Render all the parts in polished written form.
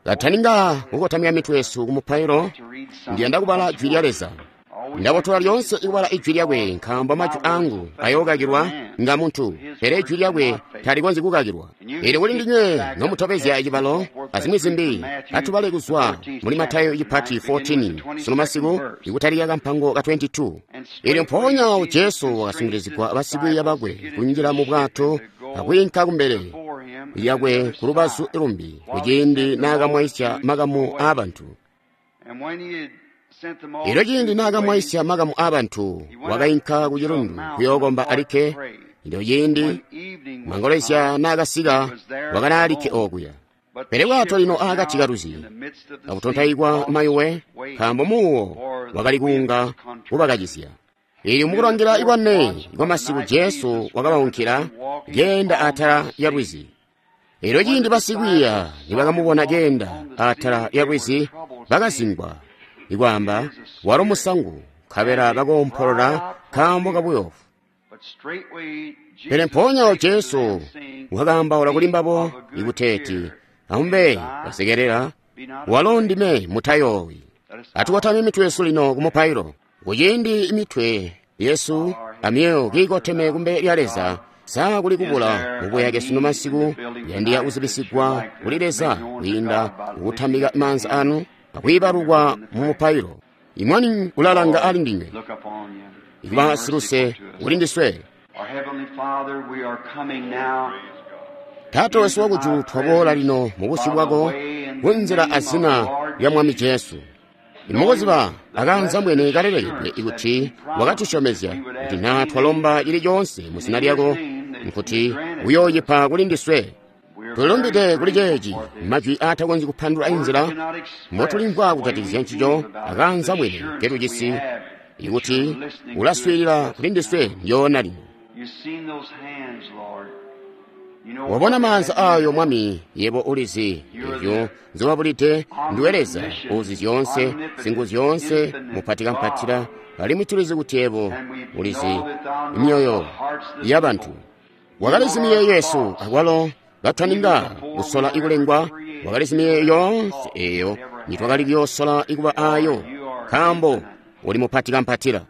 Kataninga kukotamika mitwe yesu kumupailo, ndiyanda kubala Jwi lya Leza. Ndabotola lyoonse ikubala Ijwi lyakwe, nkaambo majwi angu ayookakilwa nga muntu, pele Ijwi lyakwe talikonzyi kukakilwa. Eelyo kuli ndinywe nomutobezya cibalo azimwi zimbi, atubale kuzwa muli Matayo cipati 14 sunu masiku, ikutalika kampango ka 22. Eelyo mpoonya Jesu wakasungilizigwa basikwiiya bakwe kunjila mu bwato akwiinka kumbele lyakwe kulubazu lumbi kuciindi naakamwaisya makamu aabantu. Elyo ciindi naakamwaisya makamu aabantu, wakainka ku cilundu kuyookomba alikke. Elyo ciindi mangolezya naakasika, wakali alikke okuya. Pele bwato lino aakati kalwizi, akutontaikwa mayuwe, nkaambo muuwo wakali kuunga kubakacizya. Eelyo mukulangila ikwane kwamasiku Jesu wakabaunkila keenda atala lyalwizi. Elyo ciindi basikwiiya nibakamubona keenda atala lyalwizi, bakazingwa, ikwaamba, walo musangu, nkabela bakoompolola nkaambo kabuyoofu. Pele mpoonya Jesu wakaambaula kuli mbabo ikuteeti, amube basekelela, walo ndime, mutayoowi. Atukotame mitwe yesu lino kumupailo. Kuciindi imitwe yesu amyoyo kiikoteme kumbele lya Leza, sa kuli kubula mubuyake sunu masiku kuyandika kuzibisigwa kuli Leza kwiinda kukutambika maanza anu akwiibalukwa mu mupailo. Imwani ulalanga ali ndinywe, ikuba siluse kuli ndiswe. Taata wesu wakujulu, twaboola lino mu busyu bwako kunzila azina lya Mwami Jesu. Imukuziba akaanzambwene kalelekedwe ikuti wakatusyomezya kuti naa twalomba cili coonse mu zina lyako, nkuti uyoocipa kuli ndiswe. Tulilumbide kuli ceeci, majwi aatakonzyi kupandulula inzila mbotulimvwa kujatikizya ncico akaanzambwene ketujisi ikuti ulaswiilila kuli ndiswe ndyoona lino. Wabona maanza ayo, Mwami, yebo ulizi ezyo nzobabulide. Ndiwe Leza uzi zyoonse, singu zyoonse, mupatikampatila, alimwi tulizi kuti yebo ulizi myoyo yabantu. Wakalizi miyeeyo yesu akwalo katwaninga kusola ikulengwa, wakalizi miyeeyo yoonse eyo nitwakali kuyoosola ikuba ayo, nkaambo uli mupatikampatila.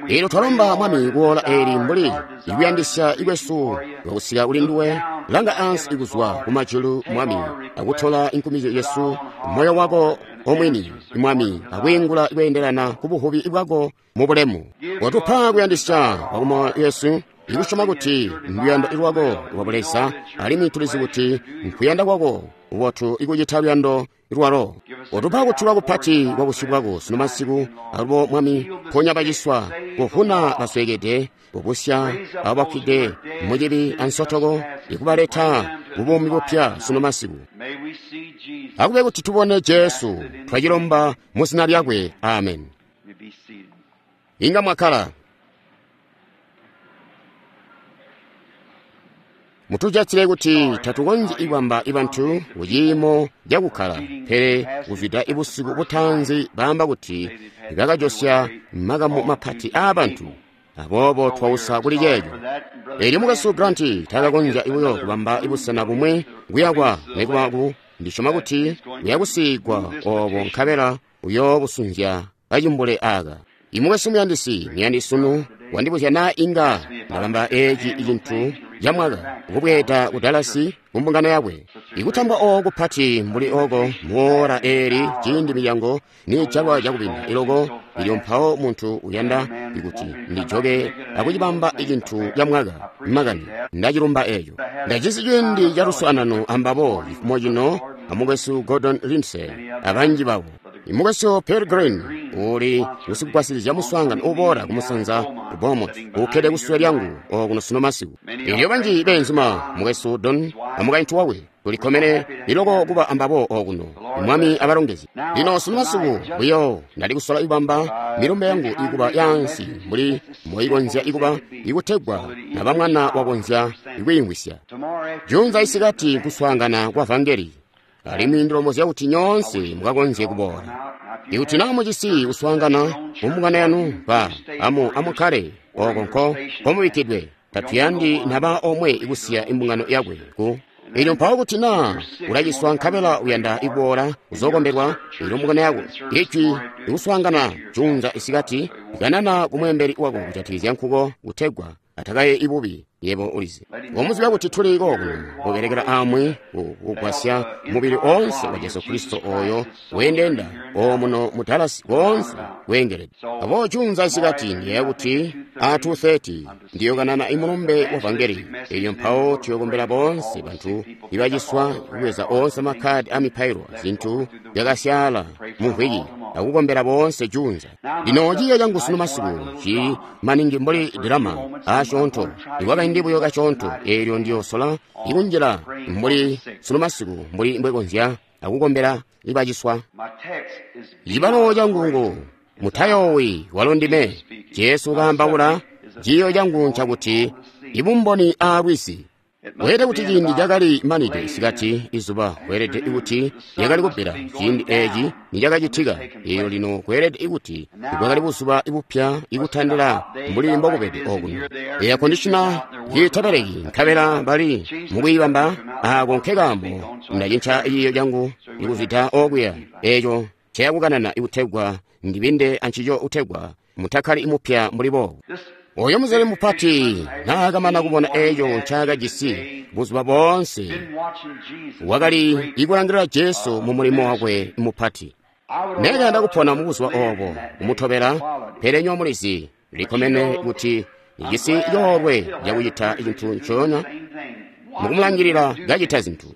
Eelyo twalomba, Mwami, kuola eeli mbuli ikuyandisya ikwesu lwakusika kuli nduwe, langa ansi ikuzwa kumajulu, Mwami, akutola inkumizyo yesu moyo wako omwini, Mwami, akwiingula kweendelana ku buvubi bwako mu bulemu. Watupa kuyandisya kwakumoyo yesu ikusyoma kuti nduyando lwako lwa Buleza, alimwi tulizi kuti nkuyanda kwako kubotu ikucita luyando lwalo. Watupa kutulwa kupati kwa busyu bwako sunu masiku, alubo, Mwami, ponya baciswa, kuvuna basweekede, kubusya abo bafwide mucibi ansotoko, ikubaleta kubuumi bupya sunu masiku. Akube kuti tubone Jesu, twacilomba mu zina lyakwe. Amen. Inga mwakkala. Mutujatsile kuti tatukonzyi kubamba ibantu kuciimo cakukkala, pele kuzwida ibusiku butaanzi baamba kuti bakajosya makamu mapati aabantu, aboobo twausa kuli ceeco. Eelyo mukwesu Grant taakakonzya buyo kubamba busena bumwi kuyakwa nikuba ku ndisyoma kuti uyakusiigwa oobo, nkabela uyoobusunzya kacimbule aaka. Imukwesu muyandisi, muyandisi sunu wandibuzya naa inga ndabamba eeci cintu camwaka kubweeda ku Dallas kumbungano yakwe. Ikutambwa ooko kupati mbuli ooko muoora eeli ciindi milyango niijalwa cakubinda iloko, ilyo mpawo muntu uyanda ikuti ndijoke akucibamba icintu camwaka makani, ndacilumba eeco. Ndajisi ciindi caluswaanano ambabo cifumo cino amukwesu Gordon Lindsay abanji babo. Imukwesu Pearl Green uli usikugwasilizya muswaangano uboola kumusanza ku Beaumont, ukkede kusule lyangu okuno sunu masiku. Elyo banji beenzuma, mukwesu Don amukaintu wakwe, tulikkomene iloko kuba ambabo okuno. Mwami abalongezye. Lino sunu masiku buyo ndali kusola kubamba milumbe yangu ikuba yaansi mbuli mboikonzya ikuba, ikutegwa naba mwana wakonzya ikwiimvwisya. Juunza isikati nkuswaangana kwa vangeli, alimwi ndilombozya kuti nyoonse mukakonzye kuboola. Ikuti naa mujisi kuswaangana mumbungano yanu, ba amukkale oko nko mubikkidwe. Tatuyandi naba omwe ikusiya imbungano yakwe ku. Elyo mpawo kuti naa ulaciswa nkabela uyanda kuboola kuzokombelwa, elyo mbungano yako ijwi ikuswaangana juunza isikati, kanana ku mweembeli wako kujatikizya nkuko kutegwa atakaye ibubi. Yebo ulizi ngomuziba kuti tuli kokuno kubelekela amwi kugwasya mubili oonse wa Jesu Kristo oyo weendeenda omuno mu Dallas woonse weengelede. Aboobo juunza isikati ndiyeeya kuti a 2:30 ndiyokanana imulumbe wa vangeli. Elyo mpawo tuyokombela boonse bantu ibaciswa, kubweza oonse makkadi a mipailo zintu zyakasyaala mu mvwiki, akukombela boonse juunza. Lino ciiyo cangu sunu masiku cili maningi mbuli dilama asyoonto ikwakaindi buyo kasyoonto. Eelyo ndiyosola ikunjila mbuli sunu masiku mbuli mbwekonzya akukombela ibaciswa. Cibalo cangu ngu mutayoowi, walo ndime Jesu kaambaula. Ciiyo cangu ncakuti ibumboni aalwizi. Weelede kuti ciindi cakali manide isikati, izuba kweelede kuti lyakali kubbila ciindi eeci nicakacitika. Eelyo lino kweelede kuti bwakali buzuba bupya ikutandila mbuli mbokubede okuno. Air conditioner itabeleki nkabela bali mukuyibamba. Aako nkekaambo ndacinca ciiyo cangu ikuzwida okuya eeco nceyakukanana ikutegwa ndibinde ancico kutegwa mutakkali mupya mbuli boobu. Oyo muzeli mupati naakamana kubona eeco ncaakajisi buzuba boonse, wakali ikulangilila Jesu mu mulimo wakwe mupati. Nekayanda kupona mu buzuba oobo kumutobela, pele nywebo mulizi likomene kuti ndijisi coolwe cakucita cintu ncoonya mukumulangilila kacita zintu.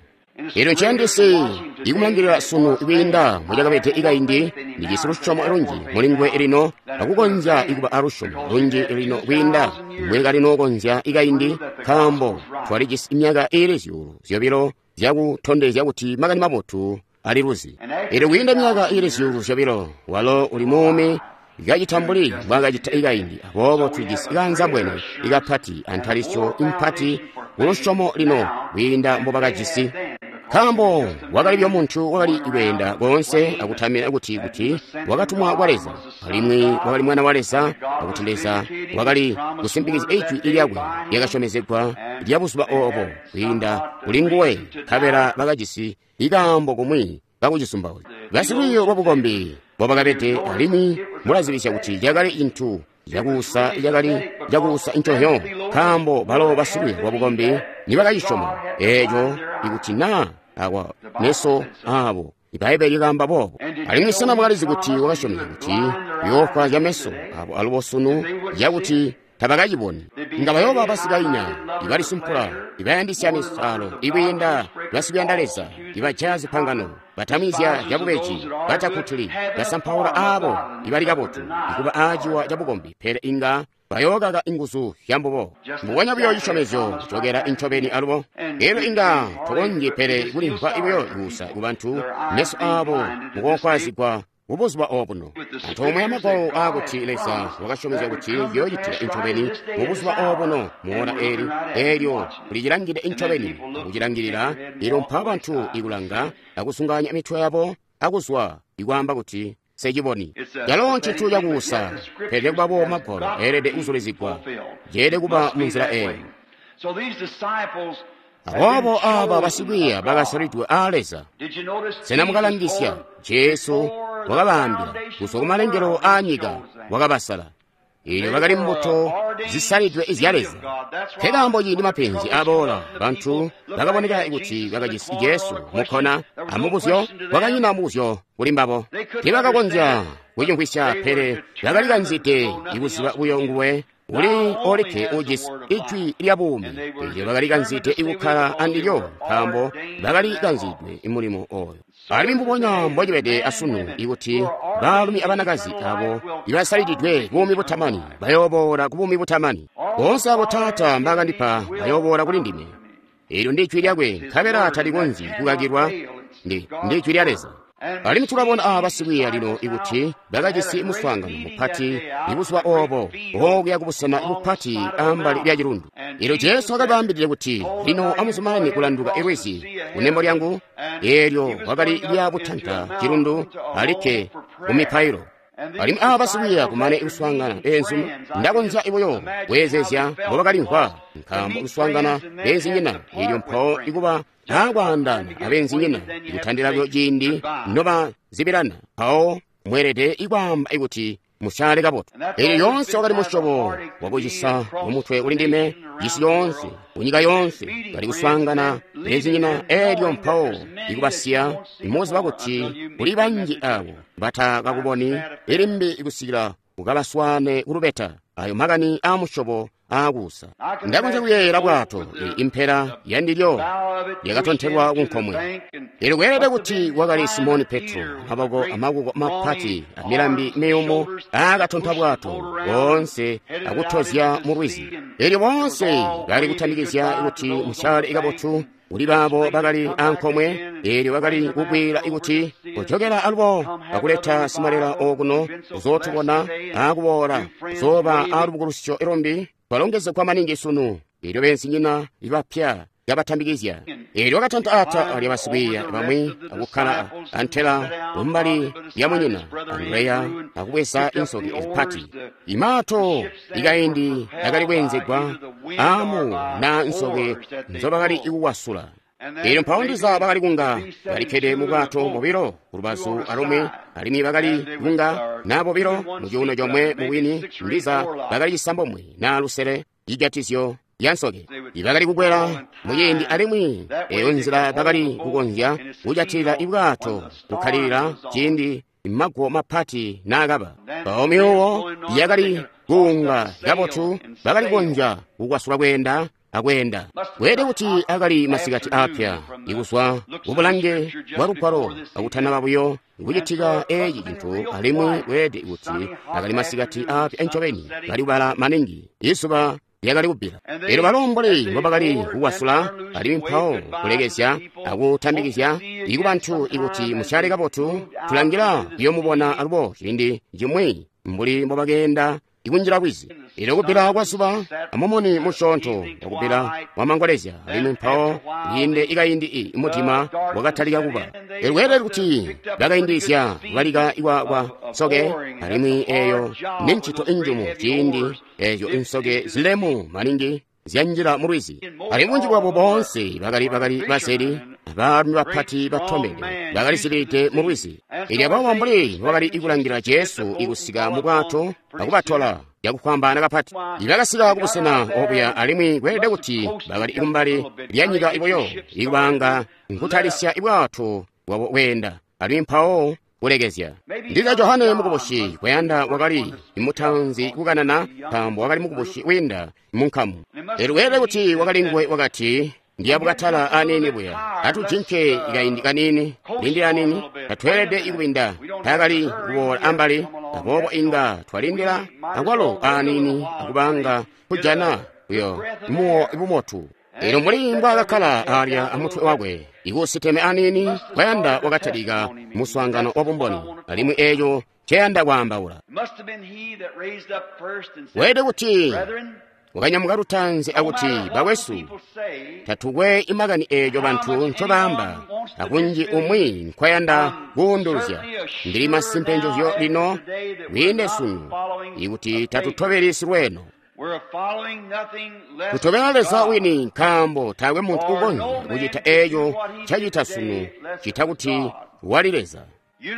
Elyo nciyandisi ikumulangilila sunu kwiinda mbocakabede ikaindi. Ndijisi lusyomo lunji mulinguwe lino, akukonzya ikuba alusyomo lunji lino kwiinda mbwekali nookonzya ikaindi, nkaambo twalijisi myaka iili 2,000 zyakutondezya kuti makani mabotu aliluzi. Elyo kwiinda myaka iili 2,000 walo uli muumi kacita mbuli mbwaakacita ikaindi. Aboobo tulijisi kaanzambwene ikapati antalisyo impati kulusyomo lino kwiinda mbobakajisi. Nkaambo wakali buyo muntu wakali kweenda koonse akutamina kuti wakatumwa kwa Leza, alimwi wakali mwana wa Leza, akuti Leza wakali kusimpikizya ijwi lyakwe lyakasyomezegwa lya buzuba oobo kwiinda kuli nguwe, nkabela bakajisi ikaambo kumwi kakucisumbauzya. Basilwiiyo lwabukombi mbobakabede, alimwi mulazibisya kuti cakali cintu cakuusa, cakali cakuusa nconzyo, nkaambo balo basilwiiyo lwabukombi nibakacisyoma eeco ikuti naa akwa meso aabo. Ibbaibbele likaamba boobo. Alimwi sena mwakalizi kuti wakasyomezya kuti yoofwa meso abo alubo sunu yakuti tabakaciboni? Nga bayooba basikainya, ibalisumpula, ibayandisya misalo, ikwiinda basikuyanda Leza, ibajaya zipangano, batamizya zyabubeji, batakkutuli, basampaula aabo ibali kabotu, ikuba aaciwa cabukombi, pele inga bayookaka inguzu zyambubo. Mbubonya buyo cisyomezyo kucokera incobeni alubo. Elyo inga tokonzyi pele kulimvwa buyo kuusa kubantu meso aabo mukoofwaazigwa mubuzuba obuno. Antoomwe amagwalo aakuti Leza wakasyomezya kuti yoocitika incobeni mubuzuba obuno muora eeli, eelyo kulicilangide incobeni akucilangilila. Elyo mpawo bantu ikulanga akusunganya mitwe yabo akuzwa ikwaamba kuti seciboni. Calo ncintu cakuusa, pele kubabo magwalo eelede kuzulizigwa, ceelede kuba munzila eeyo. Aboobo aaba basikwiiya bakasalidwe aa Leza. Sena mukalangisya? Jesu wakabaambila kuzwa kumalengelo aanyika wakabasala. Eelyo bakali mbuto zisalidwe izya Leza. Nkekaambo ciindi mapenzi aboola, bantu bakaboneka kuti bakajisi Jesu mukkona amubuzyo, kwakanyina mubuzyo kuli mbabo. Tiibakakonzya kucimvwisya, pele bakalikanzide ikuziba buyo nguwe uli olikke ujisi ijwi lya buumi. Eelyo bakalikanzide ikukkala andilyo, nkaambo bakalikanzidwe mulimo ooyo. Alimwi mbubonya mbocibede asunu ikuti baalumi abanakazi abo ibasalididwe buumi butamani bayooboola ku buumi butamani. Boonse abo Taata mbaakandipa bayooboola kuli ndime. Eelyo ndi ijwi lyakwe, nkabela talikonzyi kukakilwa, ndi ijwi lya Leza. Alimwi tulabona aaba basikwiiya lino ikuti bakajisi muswaangano mupati ibuzuba oobo okuya kubusena bupati ambali lya cilundu. Eelyo Jesu wakabaambilide kuti, lino amuzumanane kulanduka lwizi kunembo lyangu. Eelyo wakali lya butanta cilundu alikke kumipailo. Alimwi aba basikwiiya kumane kuswaangana beenzuma, ndakonzya buyo kweezezya mbobakalimvwa, nkaambo kuswaangana beenzinyina elyo mpawo ikuba aakwaandana abeenzinyina kutandila buyo ciindi nobazibilana, mpawo mweelede ikwaamba kuti musyaale kabotu. Elyo yoonse wakali musyobo wakucisa mumutwe kuli ndime, cisi yoonse, kunyika yoonse, bali kuswaangana beenzinyina elyo mpawo ikubasiya muziba kuti kuli banji abo batakakuboni ilimbi kusikila ukabaswaane kulubeta. Ayo makani aamusyobo aakuusa. Ndakonzya kuyeeyela bwato impela yandilyo lyakatontelwa kunkomwe. Elyo kweelede kuti wakali Simoni Petro, amaboko amakuko mapati amilambi miyumu aakatonta bwato boonse akutozya mu lwizi. Elyo boonse bali kutamikizya kuti musyaale kabotu kuli baabo bakali ankomwe, elyo bakali kukwiila kuti kujokela alubo akuleta simalela okuno kuzootubona akuboola kuzooba alubukulusyo ilumbi twalongezegwa maningi sunu. Elyo beenzinyina bapya yabatambikizya. Elyo wakatanta ata alya basikwiiya bamwi akukkala antela kumbali lya munyina Andreya akubweza insoke zipati. Imaato ikaindi akali kweenzegwa amu na nsoke nzobakali kukwasula. Elyo mpawo ndiza bakali kunga balikkede mu bwato bobilo kulubazu alumwi, alimwi bakali kunga na bobilo mu cuuno comwe mubwini, ndiza bakali cisambomwe na lusele cijatizyo ya nsoke. Ibakali kukwela muciindi alimwi eyo nzila bakali kukonzya kujatilila ibwato kukkalilila ciindi maguwo mapati naakaba. Mpawo myuuwo yakali kuunga kabotu, bakali kukonzya kukwasula kweenda akweenda. Kweelede kuti akali masikati aapya ikuzwa kubulange bwa lugwalo akutanaba buyo kucitika eeci cintu, alimwi kweelede kuti akali masikati aapya ncobeni, kali kubala maningi, izuba lyakali kubbila. Elyo balo mbuli mbobakali kukwasula alimwi mpawo kulekezya akutambikizya ikubantu ikuti musyaale kabotu, tulangila kuyoomubona alubo ciindi cimwi mbuli mbobakeenda ikunjila lwizi. Elyo kubbila kwa zuba amumuni musyoonto wakubbila wamangolezya, alimwi mpawo liinde ikaindi mudima wakatalika kuba. Elyo kweelede kuti bakaindizya kubalika kwa nsoke, alimwi eyo ni ncito injumu ciindi eeco insoke zilemu maningi zyanjila mu lwizi. Alimwi bunji bwabo boonse bakali bazeli, abaalumi bapati batombede bakali zibide mu lwizi. Elyo aboobo mbuli mbobakali kulangila Jesu ikusika mu bwato akubatola cakufwambaana kapati, ibakasika kubusena obuya, alimwi kweelede kuti bakali kumbali lya nyika buyo ikubanga nkutalisya bwato bwabo kweenda, alimwi mpawo kulekezya. Ndiza Johane mukubusi kuyanda wakali mutanzi kukanana, nkaambo wakali mukubusi wiinda munkamu. Elyo kweelede kuti wakali nguwe wakati, ndiyabukatala aniini buya, atujinke kaindi kaniini, lindila aniini, tatweelede kubinda. Taakali kuboola ambali, aboobo inga twalindila akwalo aniini akubanga kujana buyo muwo bumotu. Elyo mbuli mbwaakakkala alya amutwe wakwe ikusiteme aniini, kwayanda wakatalika muswaangano wa bumboni, alimwi eeco nceyanda kwaambaula. Weelede kuti wakanyamuka lutanzi akuti, bakwesu, tatukwe imakani eeco bantu ncobaamba, akunji umwi nkwayanda kuunduluzya. Ndili masimpe njozyo lino kwiinde sunu ikuti tatutobeli silweeno. Kutobela Leza wini, nkaambo taakwe muntu ukonzya kucita eeco ncacita sunu cita kuti wali Leza.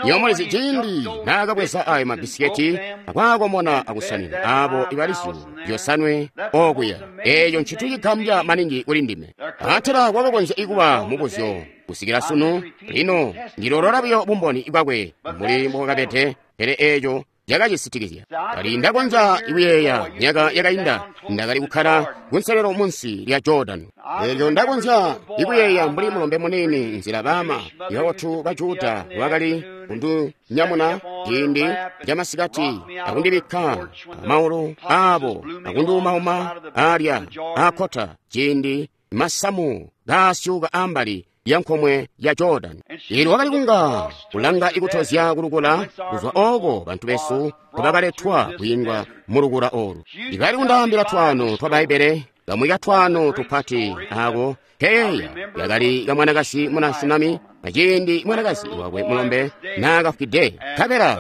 Nyomulizi ciindi naakabweza ayo mabisiketi akwaakomona akusanina aabo ibali zyuulu 5 okuya, eeco ncintu cigambya maningi kuli ndime. Atala kwakakonzya kuba mubuzyo kusikila sunu. Lino ndilolola buyo bumboni bwakwe mbuli mbobwakabede, pele eeco cakacisitikizya. Kali ndakonzya kuyeeya myaka yakainda ndakali kukkala kunselelo munsi lya Jordan. Elyo ndakonzya ikuyeeya mbuli mulombe muniini nzila baama ibabotu ba Juda bakali kundinyamuna ciindi camasikati akundibikka amaulu aabo akundiumauma alya aakkota ciindi masamu kaasyuuka ambali ya nkomwe ya Jordan. Elyo wakali kunga kulanga ikutozya kulukula kuzwa ooko bantu besu nkobakaletwa kwiingwa mulukula olu. Ibali kundaambila twaano twa Bbaibbele Kamwi katwaano tupati ako keyeeya yakali kamwanakazi muna Shunami aciindi mwanakazi wakwe mulombe naakafwide.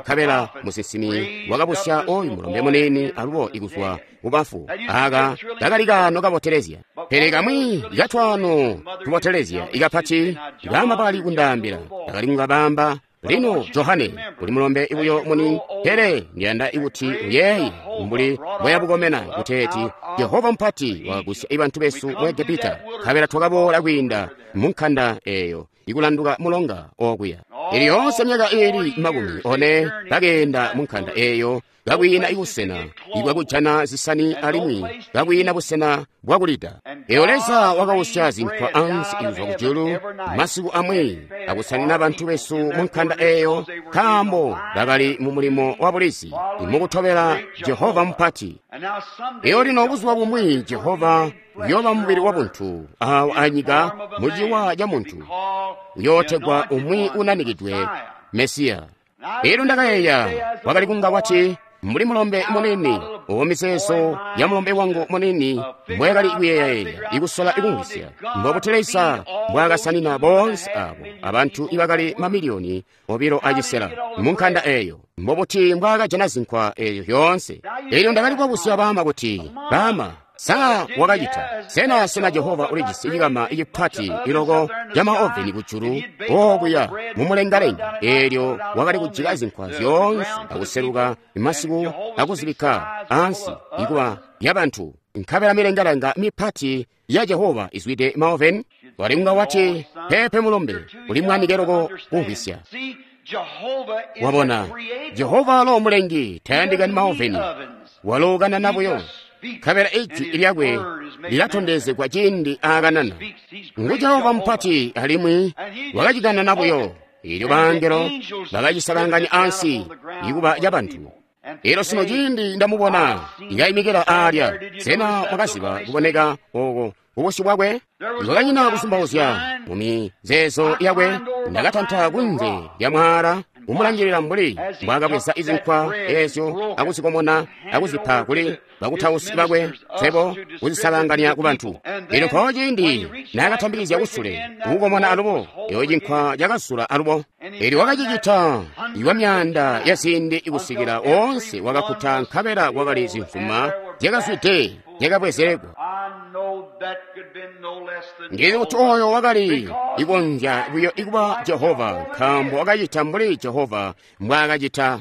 Nkabela musinsimi wakabusya oyu mulombe muniini alubo ikuzwa kubafu. Aka kakali kaano kabotelezya. Pele kamwi katwaano tubotelezya ikapati baama bakali kundaambila, bakali kungabamba, lino Johane uli mulombe buyo muni, pele ndiyanda kuti uyeeye mbuli mbwayabukomena kuteeti Jehova mupati wakagusya bantu besu mu Egepita, nkabela twakaboola kwiinda mu nkanda eeyo ikulanduka mulonga okuya. Ili yoonse myaka iili 40 bakeenda mu nkanda eeyo kakwiina ibusena ibwakujana zisani alimwi kakwiina busena bwakulida. Eyo Leza wakausya zinkwa ansi kuzwa kujulu masiku amwi akusanina bantu besu mu nkanda eeyo, nkaambo bakali mu mulimo wa bulizi mukutobela Jehova mupati. Eyo lino buzuba bumwi Jehova uyooba mubili wa buntu awo anyika muciwa ca muntu, uyootegwa umwi unanikidwe Mesiya. Elyo ndakayeeya wakali kunga wati mbuli mulombe munini uwo mizeezo ya mulombe wangu munini mbwayakali kuyeeya ikusola ikumvwisya mbobuti Leza mbwaakasanina boonse abo abantu ibakali mamiliyoni 2.5 mu nkanda eeyo, mbobuti mbwaakajana zinkwa eeyo yoonse. Elyo ndakali kubabuzya baama kuti, baama, sa wakacita sena Jehova ulijisi cikama cipati iloko ca maoveni kujulu okuya mumulengalenga, eelyo wakali kujika zinkwa zyoonse akuseluka masiku akuzibikka ansi ikuba yabantu, nkabela milengalenga mipati ya Jehova izwide maoveni? Wali kunga wati, pepe mulombe, uli mwanike loko kumvwisya. Wabona, Jehova alo mulengi tayandikani maoveni, walo kanana buyo, nkabela ijwi lyakwe lilatondezegwa ciindi aakanana. Ngu Jehova mupati alimwi wakacikanana buyo, eelyo baangelo bakacisakanganya ansi ikuba cabantu. Elyo sino ciindi ndamubona ikaimikila aalya, sena mwakaziba kuboneka oko kubusyu bwakwe? Kwakanyina kusumbauzya mu mizeezo yakwe. Ndakatanta kunze lya mwaala kumulangilila mbuli mbwaakabweza izinkwa eezyo akuzikomona akuzipa kuli bakutausi bakwe, swebo kuzisalanganya ku bantu. Elyo mpawo ciindi naakatambikizya kusule kukukomona alubo, eyo cinkwa cakazula alubo. Elyo wakacicita iwa myaanda ya ziindi ikusikila woonse wakakkuta, nkabela kwakali zimvuma zyakazwide zyakabwezelegwa. Ndili kuti oyo wakali ikonzya buyo ikuba Jehova, nkaambo wakacita mbuli Jehova mbwaakacita.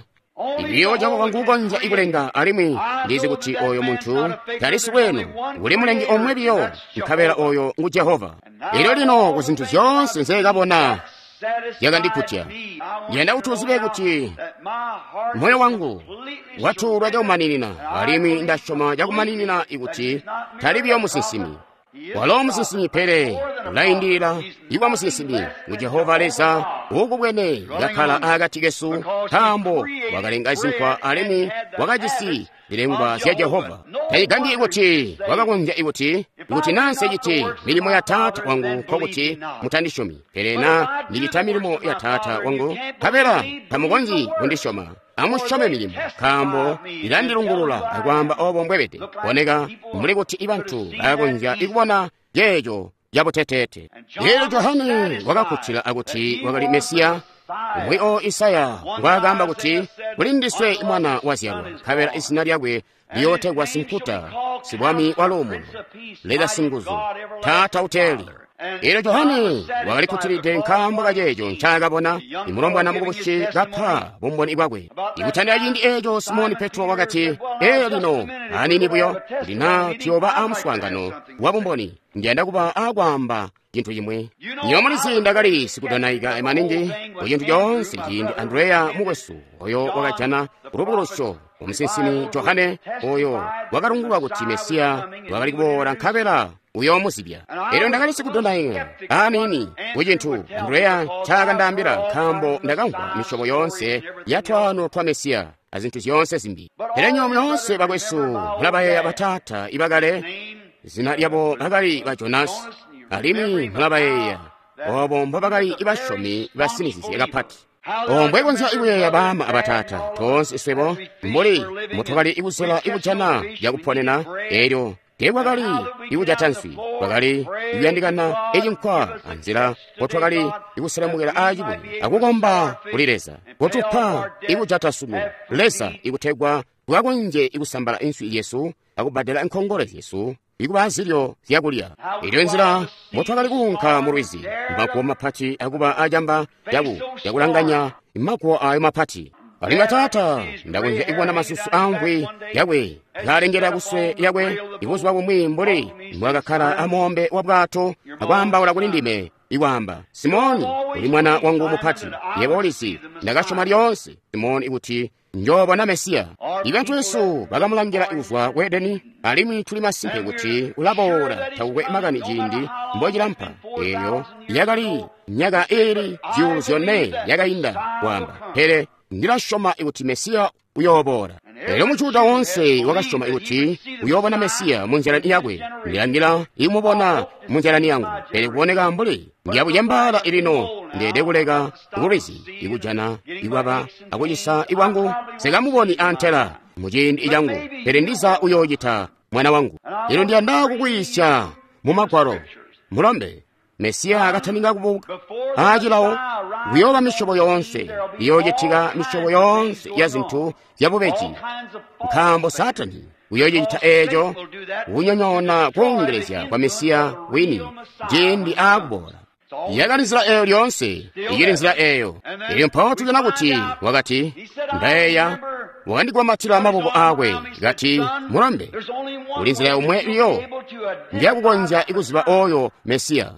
Ibiyo Jehova nguukonzya ikulenga, alimwi ndizi kuti oyo muntu tali sibweno, uli mulengi omwe biyo, nkabela oyo ngu Jehova. Elyo lino ku zintu zyoonse nzeekabona zyakandikutya. Ndiyanda kuti uzibe kuti moyo wangu watuulwa cakumaninina, alimwi ndasyoma cakumaninina ikuti tali biyo musinsimi. Walo musinsimi, pele ulaindilila iwa musinsimi ngu Jehova Leza uukubwene kakkala akati kesu, nkaambo wakalenga zinkwa alimwi wakajisi zilengwa zya Jehova. Tacigambyi kuti wakakonzya ikuti naa nseciti milimo ya Taata wangu, nkokuti mutandisyomi, pele naa ndicita milimo ya Taata wangu, nkabela tamukonzyi kundisyoma. Amusyome milimo, nkaambo ilandilungulula akwaamba obo mbwebede. Boneka mbuli kuti ibantu balakonzya ikubona ceeco cabuteteete. Elyo Johane wakakkutila akuti wakali Mesiya, umwi o Isaya ngwaakaamba kuti, kuli ndiswe mwana wazyalwa, nkabela izina lyakwe liyootegwa Sinkuta, Sibwami wa Luumuno, Leza Singuzu, Taata Uteeli. Elyo Johane wakali kkutilide nkaambo kaceeco ncaakabona, imulombwana mukubusi kapa bumboni bwakwe. Ikutandila ciindi eeco Simoni Petro wakati, ee lino aniini buyo, kuti naa tuyooba aamuswaangano wa bumboni, ndiyanda kuba aakwaamba cintu cimwi. Nywebo mulizi ndakali sikudonaika maningi ku cintu coonse ciindi Andreya mukwesu oyo wakajana lubukulusyo umusinsimi Johane oyo wakalungulwa kuti Mesiya wakali kuboola nkabela uyoomuzibya. Elyo ndakali sikudonaika aniini ku cintu Andreya ncakandaambila, nkaambo ndakamvwa misyobo yoonse ya twaano twa Mesiya azintu zyoonse zimbi. Pele nywebo myoonse bakwesu mulabayeeya bataata ibakale, zina lyabo bakali ba Jonasi, alimwi mulabayeeya obo mbobakali basyomi basinizizye kapati. Obo mbwekonzya ikuyeeya baama abataata toonse swebo mbuli mbutwakali ikusola ikujana yakuponena, elyo Teekwakali ikujata nswi, kwakali ikuyandikana icinkwa anzila mpo twakali ikuselemukila aacibuye akukomba kuli Leza. Kotupa ikujata sunu, Leza, ikutegwa tukakonzye ikusambala inswi yesu akubbadela nkongole zyesu ikuba azilyo zyakulya. Elyo nzila motwakali kuunka mu lwizi, maguwo mapati akuba acamba cakulanganya maguwo ayo mapati. Alimwi Taata, ndakonzya kubona masusu aamvwi yakwe kaalengela kuswe lyakwe ibuzuba bumwi mbuli mbwaakakkala amoombe wa bwato akwaambaula kuli ndime ikwaamba, Simoni, uli mwana wangu mupati, yebo ulizi, ndakasyoma lyoonse, Simoni, kuti njoobona Mesiya. Ibantu besu bakamulangila kuzwa ku Edeni, alimwi tuli masimpe kuti ulaboola takukwe makani ciindi mbocilampa. Eeyo yakali myaka iili 4,000 yakainda kwaamba, pele ndilasyoma kuti Mesiya uyooboola. Elyo muJuda woonse wakasyoma kuti uyoobona Mesiya munzila yakwe. Ndilangila ikumubona munzila yangu, pele kuboneka mbuli ndiyabucembaala lino ndeede kuleka kulwizi ikujana ikwaba akucisa ibwangu. Nsikamuboni antela muciindi cangu, pele ndiza uyoocita mwana wangu. Lino ndiyanda kukwiisya mu Magwalo, mulombe. Mesiya akataninga kubuka aacilawo, kuyooba misyobo yoonse, iyoocitika misyobo yoonse ya zintu zyabubeji, nkaambo Saatani uyoocita eeco kunyonyoona koongelezya kwa Mesiya wini ciindi aakuboola. Yakali nzila eeyo lyoonse, icili nzila eeyo. Elyo mpawo tujana kuti wakati, ndayeeya wakandigwamatila maboko aakwe kati, mulombe, kuli nzila yomwe iyo njakukonzya ikuziba oyo Mesiya.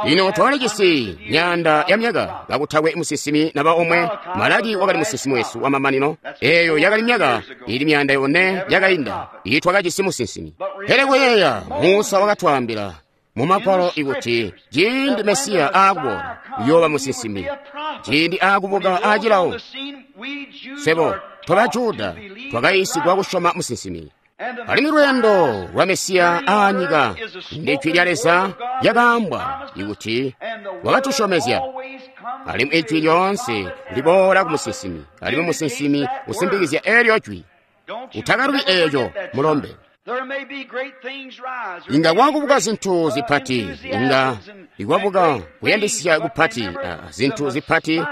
Lino twakalijisi myaanda ya myaka kakutakwe musinsimi naba omwe. Malaki wakali musinsimi wesu wamamanino. Eeyo yakali myaka ili 400 yakainda itwakajisi musinsimi. Pele kuyeeya, Musa wakatwaambila mu Magwalo ikuti ciindi Mesiya aakuboola uyooba musinsimi, ciindi aakubuka aacilawo. Swebo twaba Juda twakayiisigwa kusyoma musinsimi. Alimwi lweendo lwa Mesiya aanyika ndi jwi lya Leza lyakaambwa ikuti wakatusyomezya. Alimwi ijwi lyoonse liboola ku musinsimi, alimwi musinsimi usimpikizya eelyo jwi. Utakalubi eeco, mulombe. Inga kwakubuka zintu zipati, inga ikwabuka kuyandisya kupati, zintu zipati,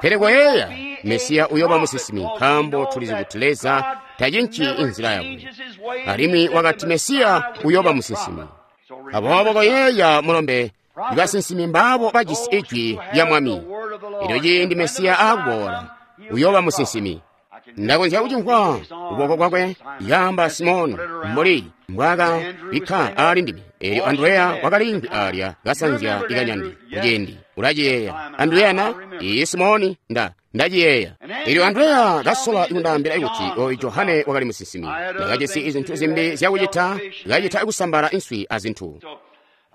pele koyeeya, Mesiya uyooba musinsimi, nkaambo tulizi kuti Leza tacinci inzila yakwe. Alimwi wakati Mesiya uyooba musinsimi. Aboobo koyeeya, mulombe, ibasinsimi mbaabo bajisi ijwi lya Mwami. Elyo ciindi Mesiya aakuboola, uyooba musinsimi. Ndakonzya kucimvwa kuboko kwakwe yaamba Simoni mbuli mbwaakabikka aali ndime. Elyo Andreya wakaliimvwi alya kasanzya ikanyandi kuciindi. Ulaciyeeya Andreya na? Iyi Simoni, ndaciyeeya. Elyo Andreya kasola kundaambila kuti oyu Johane wakali musinsimi. Ndakajisi izintu zimbi zyakucita, kacita kusambala inswi azintu.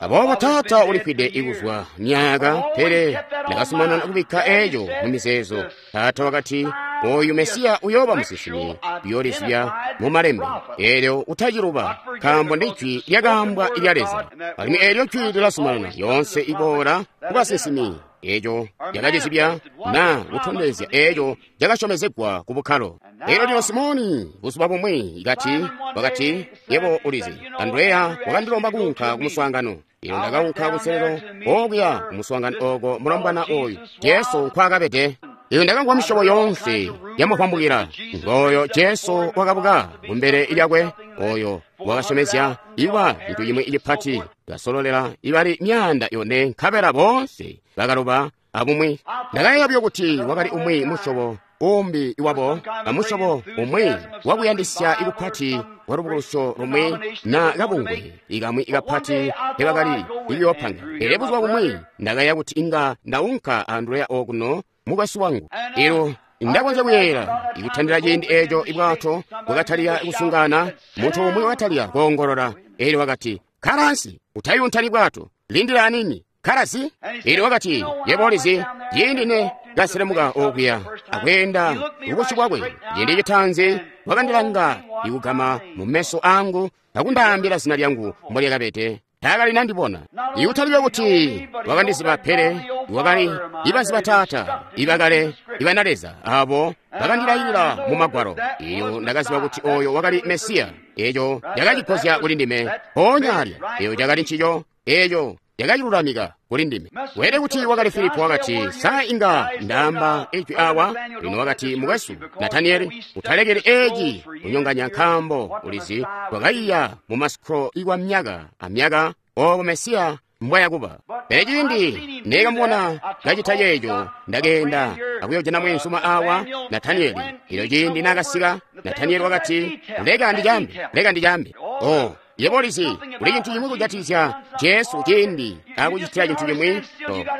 Aboobo Taata ulifwide ikuzwa myaka, pele ndakazumanana kubikka eeco mu mizeezo. Taata wakati, oyu Mesiya uyooba musinsimi, uyoolizibya mu malembe. Eelyo utaciluba, nkaambo ndi jwi lyakaambwa ilya Leza. Alimwi eelyo jwi lilazumanana lyoonse iboola ku basinsimi. Eeco lyakacizibya na kutondezya eeco cakasyomezegwa ku bukkalo. Elyo lino Simoni buzuba bumwi kati, wakati, yebo ulizi, Andreya wakandilomba kuunka ku muswaangano. Elyo ndakaunka kuselelo okuya ku muswaangano oko mulombwana oyu Jesu nkwaakabede. Elyo ndakamvwa misyobo yoonse yamuvwambukila. Ngooyo Jesu wakabuka kumbele lyakwe, oyo wakasyomezya iwa cintu cimwi cipati, kasololela ibali 400 nkabela boonse bakaloba abumwi. Ndakayeeya buyo kuti wakali umwi musyobo umbi wabo, amusyobo umwi wakuyandisya ikupati kwa lubukulusyo lumwi na kabungwe ikamwi ikapati kebakali ikuyoopanga. Pele buzuba bumwi ndakayeeya kuti inga ndaunka Andreya okuno mukwesu wangu. Elyo ndakonzya kuyeeyela ikutandila ciindi eeco ibwato bwakatalika kusungana, muntu umwi wakatalika koongolola. Elyo wakati, kkala ansi, utayuntani bwato, lindila anini, kkala zi. Elyo wakati, yebo ulizi, ciindi ne kaselemuka okuya akweenda kubusyu bwakwe, ciindi citaanzi wakandilanga ikugama mu meso angu akundaambila zina lyangu mbolyakabede. Taakali nandibona. Ikutalibe kuti wakandiziba, pele wakali ibaziba Taata ibakale ibana Leza abo bakandilailila mu Magwalo. Iyo ndakaziba kuti oyo wakali Mesiya. Eco cakacigozya kuli ndime. Mpoonya alya, eyo cakali ncico, eco cakacilulamika kuli ndime. Weelede kuti wakali Filipo wakati, sa inga ndaamba ijwi awa? Lino wakati, mukwesu Nataniyeli, utalekeli eci kunyonganya nkaambo ulizi twakaiya mu masikro ikwa myaka amyaka obo Mesiya mbwayakuba. Pele ciindi nekamubona kacita ceeco, ndakeenda akuyojana mweenzuma awa Nataniyeli. Ilo ciindi nakasika, Nataniyeli wakati, leka ndicambe, leka ndicambe. Oh, yebo ulizi, kuli cintu cimwi kujatikizya Jesu ciindi akucitila cintu cimwi,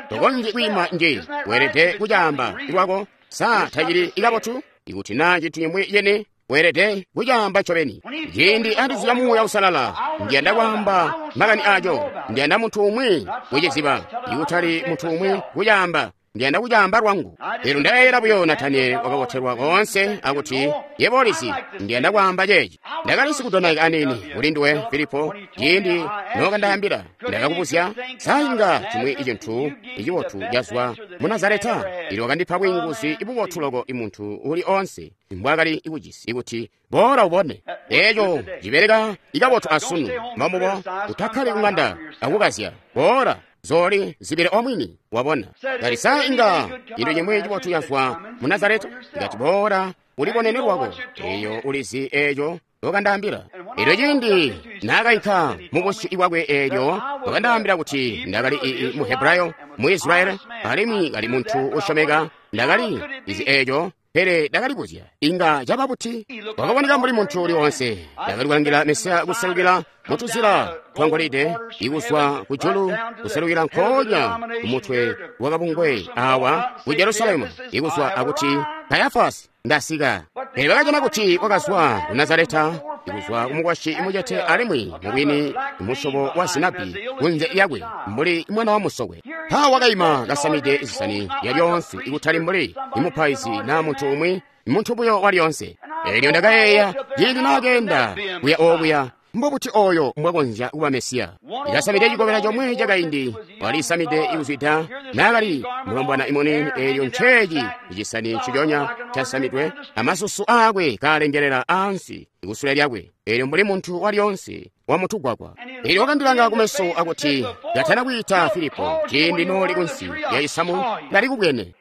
tokonzyi kwiima nje, weelede kucaamba lwako. Sa tacili kabotu? Ikuti naa cintu cimwi cene, weelede kucaamba ncobeni. Ciindi andizila Muuya Uusalala, ndiyanda kwaamba makani aco. Ndiyanda muntu umwi kuciziba, ikutali muntu umwi kucaamba. Ndiyanda kucaamba lwangu. Lino ndayeeyela buyo Nataniyeli wakabotelwa koonse akuti, yebo ulizi, ndiyanda kwaamba ceeci. Ndakali sikudonaika aniini kuli nduwe, Filipo, ciindi nokandaambila, ndakakubuzya, sa inga cimwi cintu icibotu cazwa mu Nazareta? Ili wakandipa bwiinguzi bubotu loko imuntu uli onse mbwaakali kujisi, ikuti boola ubone. Eco cibeleka ikabotu asunu. Mbamubo, utakkali kuŋanda akukazya. Boola zoli zibile omwini, wabona. Kati sa inga cintu cimwi cibotu cazwa mu Nazareta? Ngati boola ulibonene lwako. Eyo ulizi eco wakandaambila. Elyo ciindi naakainka mu busyu bwakwe eelyo wakandaambila kuti ndakali mu Hebrayo, mu Israyeli, alimwi kali muntu usyomeka. Ndakali izi eeco, pele ndakalibuzya inga caba buti. Wakaboneka mbuli muntu uli onse. Ndakali kulangila Mesiya kuselukila mutuzila twangolide, ikuzwa ku julu kuselukila nkoonya kumutwe wakabungwe awa ku Jerusalemu, ikuzwa akuti Kayafasi ndasika. Pele bakajana kuti wakazwa ku Nazareta, ikuzwa kumukwasyi mucete alimwi mubwini musyobo wa sinapi kunze yakwe mbuli mwana wa musokwe. Mpawo wakaima kasamide zisani zyalyonse, ikutali mbuli imupaizi naa muntu umwi, muntu buyo walyonse. Elyo ndakayeeya ciindi naakeenda kuya okuya, mbobuti oyo mbwakonzya kuba Mesiya? Ikasamide cikobela comwe cakaindi, walisamide ikuzwida naakali mulombwana imuniini. Eelyo nceeci icisani nciconya casamidwe, amasusu aakwe kaalengelela ansi kusule lyakwe, eelyo mbuli muntu walyonse wamutugwagwa. Eelyo wakandilanga kumeso akuti, katana kwiita Filipo, ciindi nooli kunsi lya cisamu ndalikubwene.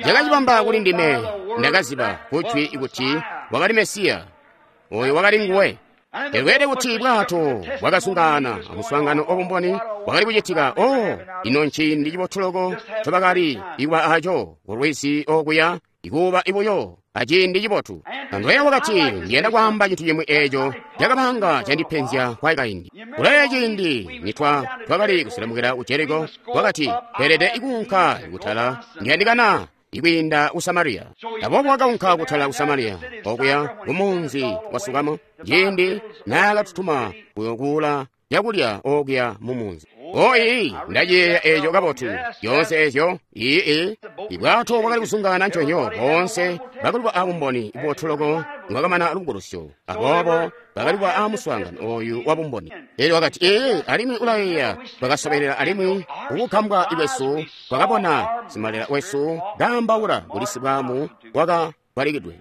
Cakacibamba kuli ndime, ndakaziba kujwi kuti wakali Mesiya, oyo wakali nguwe. Elweede kuti bwato bwakasungana amuswaangano obumboni bwakali kucitika. Oh, ino nciindi cibotu loko ncobakali ikuba aco kulwizi okuya, ikuba ibuyo aciindi cibotu. Andreya wakati, ndiyanda kwaamba cintu cimwi eeco cakabanga candipenzya kwa kaindi. Kulaye ciindi nitwa twakali kuselemukila ku Jeriko, wakati, tweelede ikuunka kutala, ndiyandikana ikwiinda ku Samariya. Aboobo wakaunka kutala ku Samariya, okuya kumunzi wa Sukamo, ciindi naakatutuma kuyokuula cakulya okuya mu munzi. Oh, ii, ndaciyeeya eeco kabotu. Zyoonse eezyo, ii, ibwato bwakali kusungana nconyo, boonse bakaliba abumboni bubotu loko lwakamana lubukulusyo. Aboobo bakaliba aamuswaangano oyu wa bumboni. Elyo wakati, ee, alimwi ulayeeya, twakasobelela alimwi kukukambwa kwesu twakabona simalela wesu kaambaula kuli sibwaamu waka balikidwe.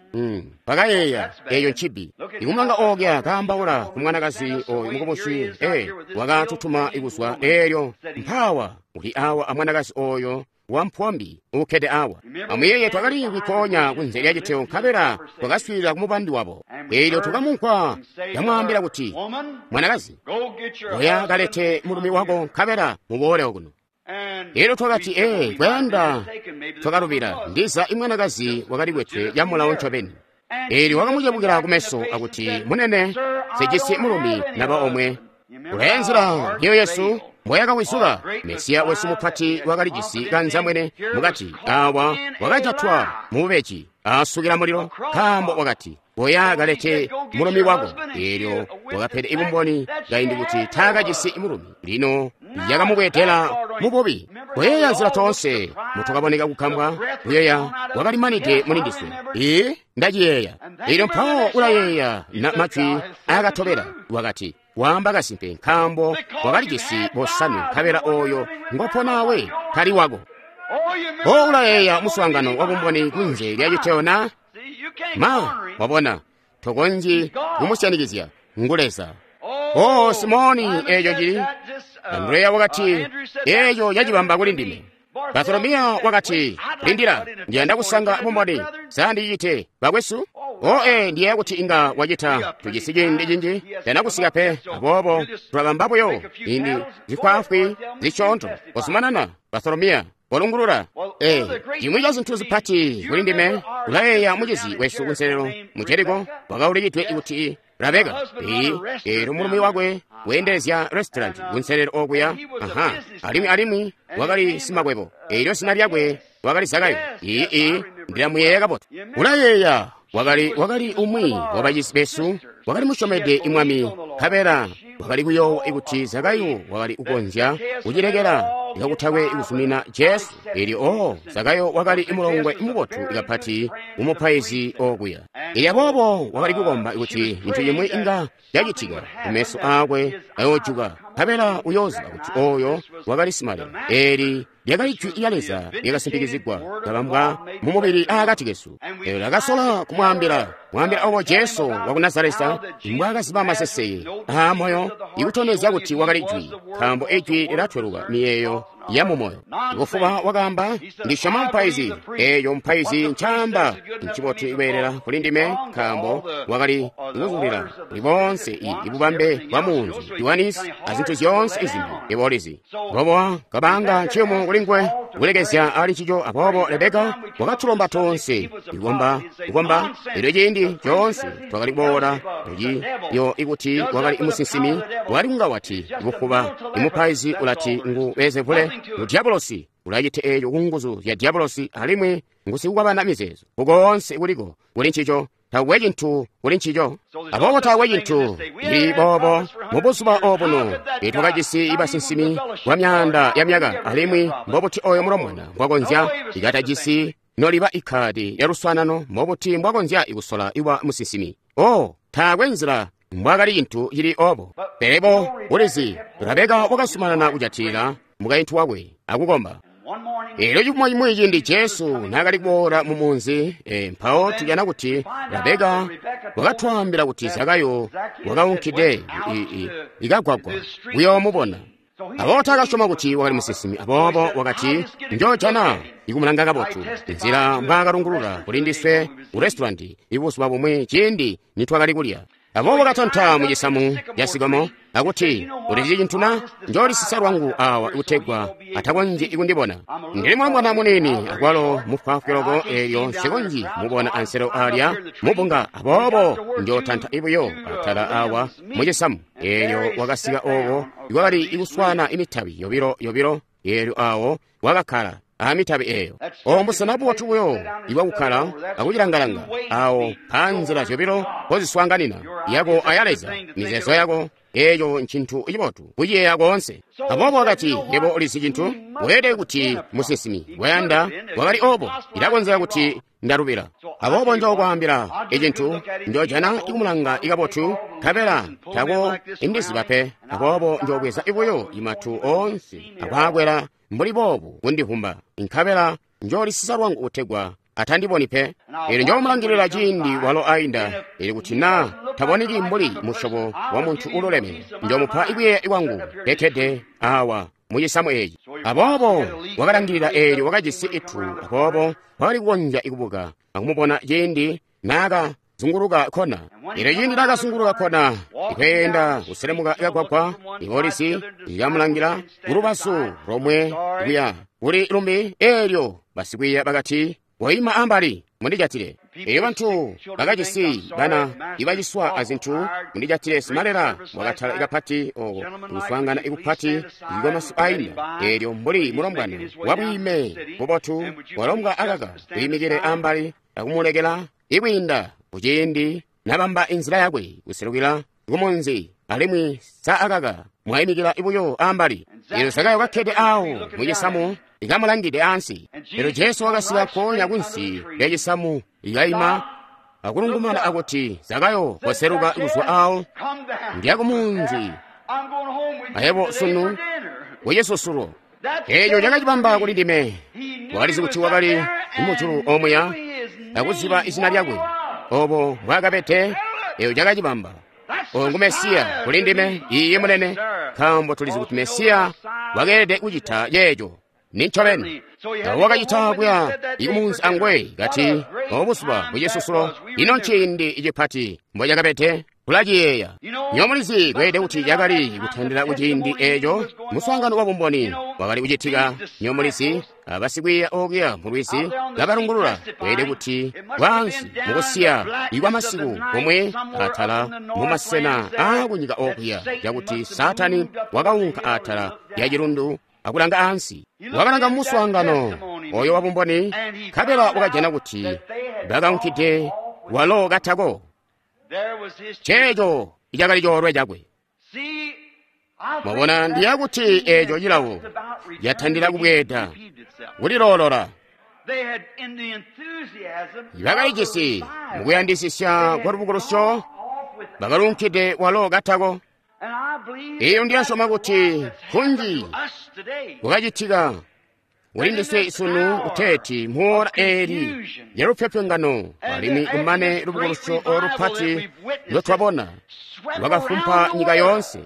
Bakayeeya eeyo ncibi. Ikumulanga ookya kaambaula ku mwanakazi oyu mukubusi, wakatutuma ikuzwa eelyo mpaawa uli awa amwanakazi oyo wampombi uukkede awa. Amuyeeye twakali kwikoonya kunze lya citeo nkabela twakaswiilila ku mubandi wabo. Eelyo tukamunkwa yamwaambila kuti, mwanakazi, oya kalete mulumi wako nkabela muboole okuno. Elyo twakati, kwayanda twakalubila, ndiza imwanakazi wakali kwetwe yamulawo ncobeni. Eelyo wakamucebukila kumeso akuti, munene, sijisi mulumi naba omwe. Ulaye nzila myoyo yesu mbwayakawizuka. Mesiya wesu mupati wakalijisi kanzamwene mukati awa wakajatwa mububeji asukila mulilo, nkaambo wakati, oya kalete mulumi wako. Eelyo wakapede ibumboni kaindi kuti taakajisi mulumi. Lino yakamubweedela mububi. Kuyeeya nzila toonse mutukaboneka kukambwa, kuyeeya wakalimanide mulindiswe. Ee, ndaciyeeya. Eelyo mpawo ulayeeya na majwi aakatobela, wakati, waamba kasimpe nkaambo wakalijisi bosanwe nkabela oyo ngoponawe tali wako. O ulayeeya muswaangano wa bumboni kunze lya citeo na? Ma, wabona, tokonzyi kumusyanikizya, ngu Leza. O Simoni, eeco cili. Andreya wakati, eeco cacibamba kuli ndime. Bartolomeya wakati, lindila, ndiyanda kusanga bumboni, sa ndicite, bakwesu? O ee, ndiyeeya kuti inga wacita, tujisi ciindi cinji, tana kusika pe, aboobo tulabamba buyo indi zifwaafwi zisyoonto. Kozumanana, Bartolomeya, kolungulula. Ee, cimwi ca zintu zipati kuli ndime, ulayeeya mucizi wesu kunselelo mu Jeriko, wakaulikidwe kuti Rabeka. Eelyo mulumi wakwe weendelezya restaurant kunselelo okuya. Aha, alimwi wakali simakwebo. Eelyo zina lyakwe wakali Zakayo. Ii, ndilamuyeeya kabotu. Ulayeeya wakali umwi wabacizi besu, wakali musyomede imwami, nkabela wakali kuyoowa kuti Zakayo wakali kukonzya kucilekela kakutakwe kuzumina Jesu. Eelyo Zakayo wakali mulongwe mubotu kapati kumupaizi okuya. Eelyo aboobo wakali kukomba kuti cintu cimwi inga cacitika, kumeso aakwe ayoojuka, nkabela uyooziba kuti oyo wakali simalelo. Eeli lyakali jwi lya Leza lyakasimpikizigwa, kabambwa mu mubili aakati kesu. Eelyo lyakasola kumwaambila obo Jesu waku Nazareta mbwaakaziba maseseke aamoyo, ikutondezya kuti wakali jwi, nkaambo ijwi lilatweluka miyeeyo ya mumoyo. Bufuba wakaamba, ndisyoma mupaizi. Eeyo mupaizi ncaamba ncibotu kweelela kuli ndime, nkaambo wakali kuzulila kuli boonse ibubambe bwa munzi Yohanisi azintu zyoonse izimbi ibolizi. Aboobo kabanga nciyumu kuli nguwe kulekezya ali ncico. Aboobo Rebeka wakatulomba toonse kukomba. Elyo ciindi coonse twakali kuboola kuciyo ikuti wakali musinsimi, wakali kunga wati bufuba imupaizi ulati ngu Beelzebule, ngu diabolosi, ulacita eeco ku nguzu zya diabolosi, alimwi ngu sikukwabana mizeezo. Kukoonse kuliko kuli ncico, taakwe cintu kuli ncico. Aboobo taakwe cintu cili boobo mu buzuba obuno. Twakajisi basinsimi kwa myaanda ya myaka, alimwi mbobuti oyo mulombwana mbwakonzya ikatajisi noliba ikkaadi lya luswaanano, mbobuti mbwakonzya kusola iwa musinsimi? Oh, taakwe nzila mbwaakali cintu cili obo. Pele bo ulizi, Rabeka wakazumanana kujatilila mukaintu wakwe akukomba. Eelyo cifumo cimwi ciindi Jesu naakali kuboola mu munzi, mpawo tujana kuti Rabeka wakatwaambila kuti Zakayo wakaunkide ikagwagwa kuyoomubona. Aboobo taakasyoma kuti wakali musinsimi, aboobo wakati, njoojana ikumulanga kabotu nzila mbwaakalungulula kuli ndiswe ku restaurant ibuzuba bumwi ciindi nitwakali kulya. Aboobo katanta mu cisamu ca sikomo akuti, ulizi cintu na? Njoolisisa lwangu awa kutegwa atakonzyi kundibona. Ndili mulombwana muniini akwalo mufwaafwi loko, eelyo nsikonzyi mubona anselo alya mubunga, aboobo njootanta ibuyo atala awa mu cisamu. Eelyo wakasika ooko ikwakali ikuswana imitabi yobilo yobilo, eelyo awo wakakkala amitabi eeyo. Obo mbusena bubotu buyo ibwakukkala akucilangalanga, awo panzila zyobilo mpoziswaanganina, yako aya Leza, mizeezo yako. Eeco ncintu cibotu kuciyeeya koonse. Aboobo wakati, yebo ulizi cintu, weelede kuti musinsimi wayanda wakali obo, ilakonzeka kuti ndalubila. Aboobo njookwaambila icintu, njoojana ikumulanga ikabotu, nkabela tako indiziba pe. Aboobo njoobweza ibuyo imatu oonse akwaakwela mbuli boobu kundivumba, nkabela njoolisisa lwangu kutegwa atandiboni pe. Eelyo njoomulangilila ciindi walo ainda, eelyo kuti naa taboneki mbuli musyobo wa muntu ululeme, njoomupa ikuyeeya kwangu kekkede awa mu cisamu eeci. Aboobo wakalangilila, eelyo wakajisi itu, aboobo wakali kukonzya kubuka akumubona ciindi naaka zunguluka kona. Eelyo ciindi naakazunguluka kona, ikweenda kuselemuka kagwagwa, ipolisi ikamulangila kulubazu lomwe kuya kuli lumbi. Eelyo basikwiiya bakati, koima ambali, mundijatile. Eelyo bantu bakajisi bana ibaciswa azintu, mundijatile. Simalela wakatala kapati oko kuswaangana ikupati ikwamasu ainda. Eelyo mbuli mulombwana wabwiime bubotu walombwa akaka wiimikile ambali akumulekela ikwiinda kuciindi nabamba inzila yakwe kuselukila kumunzi, alimwi sa akaka mwayimikila ibuyo ambali. Eelyo Zakayo kakkede awo mu cisamu ikamulangide ansi. Eelyo Jesu wakasika konya kunsi lya cisamu, ikaima akulungumana akuti, Zakayo, koseluka kuzwa awo, ndiya kumunzi ayebo sunu kucisusulo. Eeco cakacibamba kuli ndime. Wakalizi kuti wakali mujulu omuya akuziba izina lyakwe obo mbwaakabede. Eyo cakacibamba. Oyo ngu Mesiya kuli ndime, iye munene, nkaambo tulizi kuti Mesiya wakeelede kucita ceeco. Nincobeni. Awo wakacita kuya ikumunzi angwe kati obo buzuba bwacisusulo, ino nciindi cipati mbocakabede. Tulaciyeeya. Nywebo mulizi kweelede kuti cakali kutandila kuciindi eeco muswaangano wa bumboni wakali kucitika. Nywebo mulizi abasikwiiya okuya mu lwizi kabalungulula kweelede kuti bwaansi mukusiya ikwa masiku komwe atala mumasena aakunyika okuya, cakuti Saatani wakaunka atala lya cilundu akulanga ansi. Wakalanga muswaangano oyo wa bumboni, nkabela wakajana kuti bakaunkide walo katako. Ceeco icakali coolwe cakwe. Mwabona, ndiya kuti eeco cilawo yatandila kubweeda kuliloolola. Bakalijisi mukuyandisisya kwa lubukulusyo, bakalunkide walo katako. Iyo ndiyasyoma kuti kunji kukacitika kuli ndiswe isunu kuteeti muora eli ya lupyopyongano alimwi kumane lubukulusyo olupati lwetwabona lwakafumpa nyika yoonse.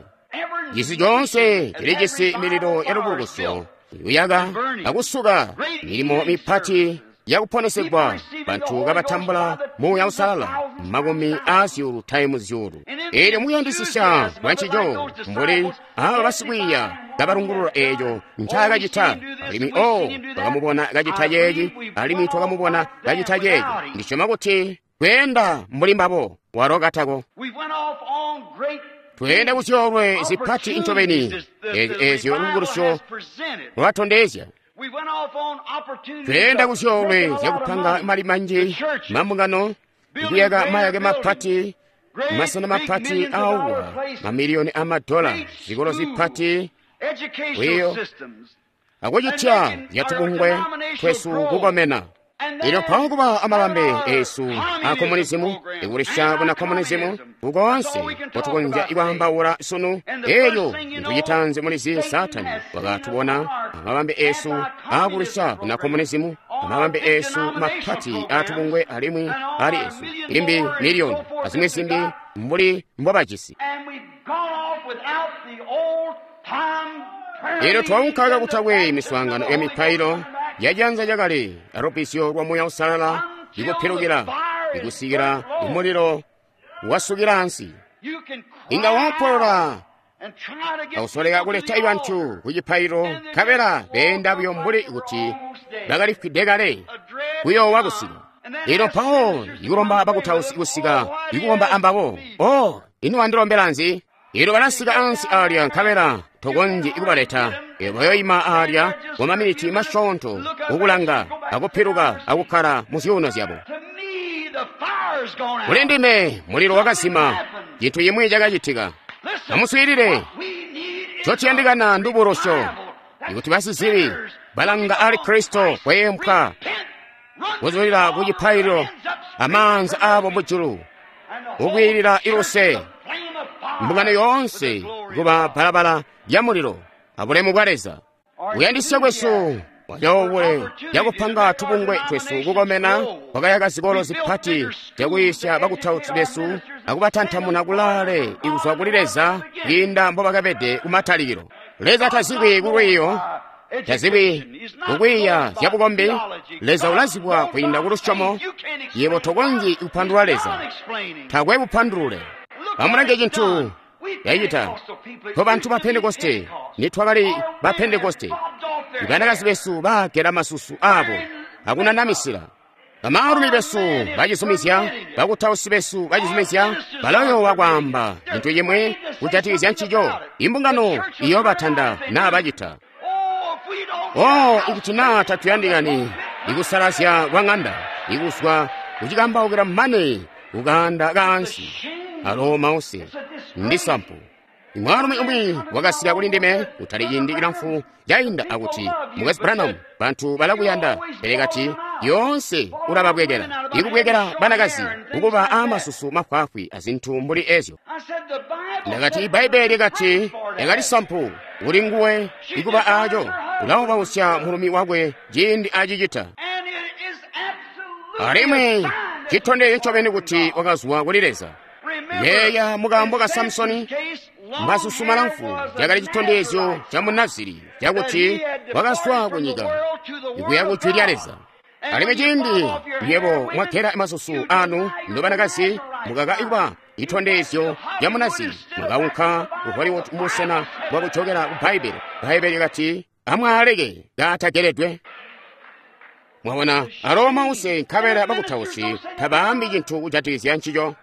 Cisi coonse cilijisi mililo ya lubukulusyo kuyaka akusuka milimo mipati yakuponesegwa, bantu kabatambula Muuya Uusalala makumi aazyuulu taimu zyuulu. Eelyo mukuyandisisya kwa ncico mbuli aaba basikwiiya kabalungulula eeco ncaakacita, alimwi o twakamubona kacita ceeci, alimwi twakamubona kacita ceeco. Ndisyoma kuti kweenda mbuli mbabo walo katako. Tweenda kuzyoolwe zipati ncobeni eezyo lubukulusyo lwatondezya. Tweenda kuzyoolwe zyakupanga mali manji, mambungano, kuyaka mayake mapati, masena mapati awa, mamiliyoni amadola, zikolo zipati, wiyo akucitya zyatubungwe twesu kukomena. Elyo mpawo kuba amabambe esu a komunizimu, ikulisha buna komunizimu kukoonse kotukonzya ikwaambaula sunu. Elyo ntucitanzi mulizi, Saatani wakatubona amabambe esu aakulisha buna komunizimu, amabambe esu mapati aatubungwe alimwi ali esu limbi miliyoni azimwi zimbi mbuli mbobajisi. Elyo twaunka kakutakwe miswaangano ya mipailo yajanza cakale alubbizyo lwa Muuya Uusalala ikupilukila ikusikila imulilo wasukila ansi. Inga waapolola akusoleka kuleta bantu ku cipaililo, nkabela beenda buyo mbuli kuti bakalifwide kale kuyoowa kusika. Elyo mpawo ikulomba bakutausi kusika ikukomba ambabo, o ino wandilombela nzi? Elyo balasika ansi alya nkabela tokonzyi kubaleta. Elyo bayoima alya kwa maminiti masyoonto kukulanga akupiluka akukkala mu zyuuno zyabo. Kuli ndime mulilo wakazima, cintu cimwi cakacitika. Amuswiilile, ncotuyandikana ndubulusyo, ikuti basizibi balanga ali Kristo kweempwa kuzulila ku cipaililo amaanza aabo mujulu kukwiilila iluse, mbungano yoonse kuba balabala lya mulilo abulemu bwa Leza. Kuyandisya kwesu kwacoobule yakupanga tubungwe twesu kukomena kwakayaka zikolo zipati zyakuyisya bakutausi besu akubatantamuna kulaale ikuzwa kuli Leza kwiinda mbobakabede kumatalikilo. Leza tazibwi kulwiiyo, tazibwi kukwiiya zyabukombi. Leza ulazibwa kwiinda kulusyomo. Yebo tokonzyi kupandulula Leza, takwe bupandulule. Amulange cintu yacita to bantu ba Pentekoste. Nitwakali ba Pentekoste, ibanakazi besu bagela masusu abo akunanamisila, bamaalumi besu bacizumizya, bakutausi besu bacizumizya, balayoowa kwaamba cintu cimwi kujatikizya ncico. Imbungano iyoobatanda naa bacita. Oh, ikuti naa tatuyandikani ikusalazya kwa ŋanda, ikuzwa kucikambaukila mane kukaanda kaansi. Alo mause ndi sampu. Mwaalumi umwi wakasika kuli ndime kutali ciindi cilamfu cainda akuti, Mukwesu Branham, bantu balakuyanda, pele kati yoonse ulababwekela, ikubwekela banakazi kukuba aamasusu mafwaafwi azintu mbuli ezyo. Ndakati Ibbaibbele likati lyakali sampu kuli nguwe ikuba aaco. ulaubausya mulumi wakwe ciindi acicita. Alimwi citondezyo ncobeni kuti wakazwa kuli Leza. Yeeya mukaambo ka Samusoni, masusu malamfu cakali citondezyo ca Munaziri cakuti wakazwa kunyika kuya ku jwi lya Leza. Alimwi ciindi nywebo mwagela masusu anu nobanakazi mukaka kuba citondezyo ca Munaziri, mukaunka ku Hollywood mubusena bwa kujokela ku Bbaibbele. Bbaibbele lyakati, amwaaleke kaatageledwe. Mwabona, alo mause nkabela bakutausi tabaambi cintu kujatikizya ncico.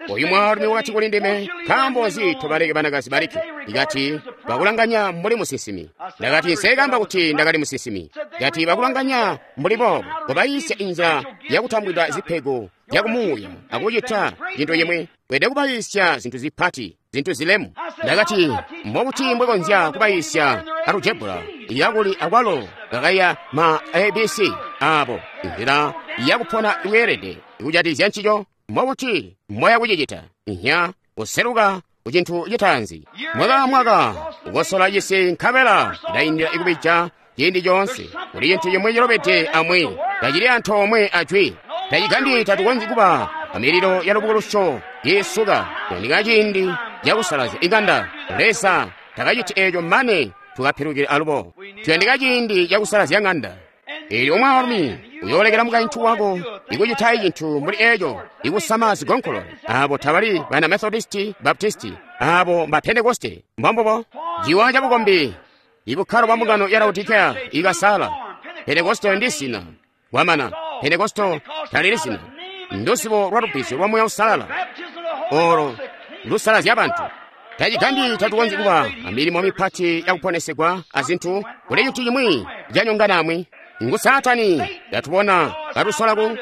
Oyu mwaalumi wakati kuli ndime, nkaambo nzi tobaleke banakazi balikke? Ndikati, bakulanganya mbuli musinsimi. Ndakati, nseekamba kuti ndakali musinsimi. Ndati, bakulanganya mbuli boobo, kobayiisya inzila yakutambwida zipego zyakumuuya akucita cintu cimwi. Weelede kubayiisya zintu zipati, zintu zilemu. Ndakati, mbobuti mbwekonzya kubayiisya alujebula yakuli akwalo kakaiya ma ABC abo, inzila yakupona iweelede kujatikizya ncico? Mbobuti moya kucicita? Nya kuseluka ku cintu citaanzi. Mwaka amwaka kukosola cisi nkabela cilaindila ikubija ciindi coonse. Kuli cintu cimwi cilobede amwi, tacili antoomwe ajwi. Tacigambyi tatukonzyi kuba amililo ya lubukulusyo iisuka. Kuyandika ciindi cakusalazya iŋanda. Leza takaciti eeco mane tukapilukile alubo. Tuyandika ciindi cakusalazya ŋanda. Eelyo mwaalumi uyoolekela mukaintu wako ikucita cintu mbuli eeco, ikusama zigonkolole. Aabo tabali bana Methodisti, Baptisti, aabo mba Pentekoste. Mbombubo. Ciwa cabukombi, ibukkalo bwa mbungano ya Laodikea ikasala. Pentekoste ndi zina. Kwamana, Pentekoste talili zina. Nduzibo lwa lubbizyo lwa Muuya Uusalala, olo lusalazya bantu. Tacigambyi tatukonzyi kuba amilimo mipati yakuponesegwa azintu, kuli cintu cimwi canyongana amwi. Ngu Saatani yatubona katusola ku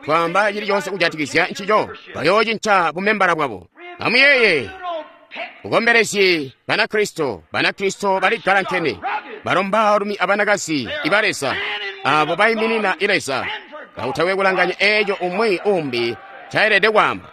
twaamba cili coonse kujatikizya ncico, bayoocinca bumembala bwabo. Amuyeeye, bukombelezyi Banakristo, Banakristo baligalankene, balo mbaalumi abanakazi iba Leza, abo baiminina Leza, kakutakwe kulanganya eeco umwi umbi ncaelede kwaamba.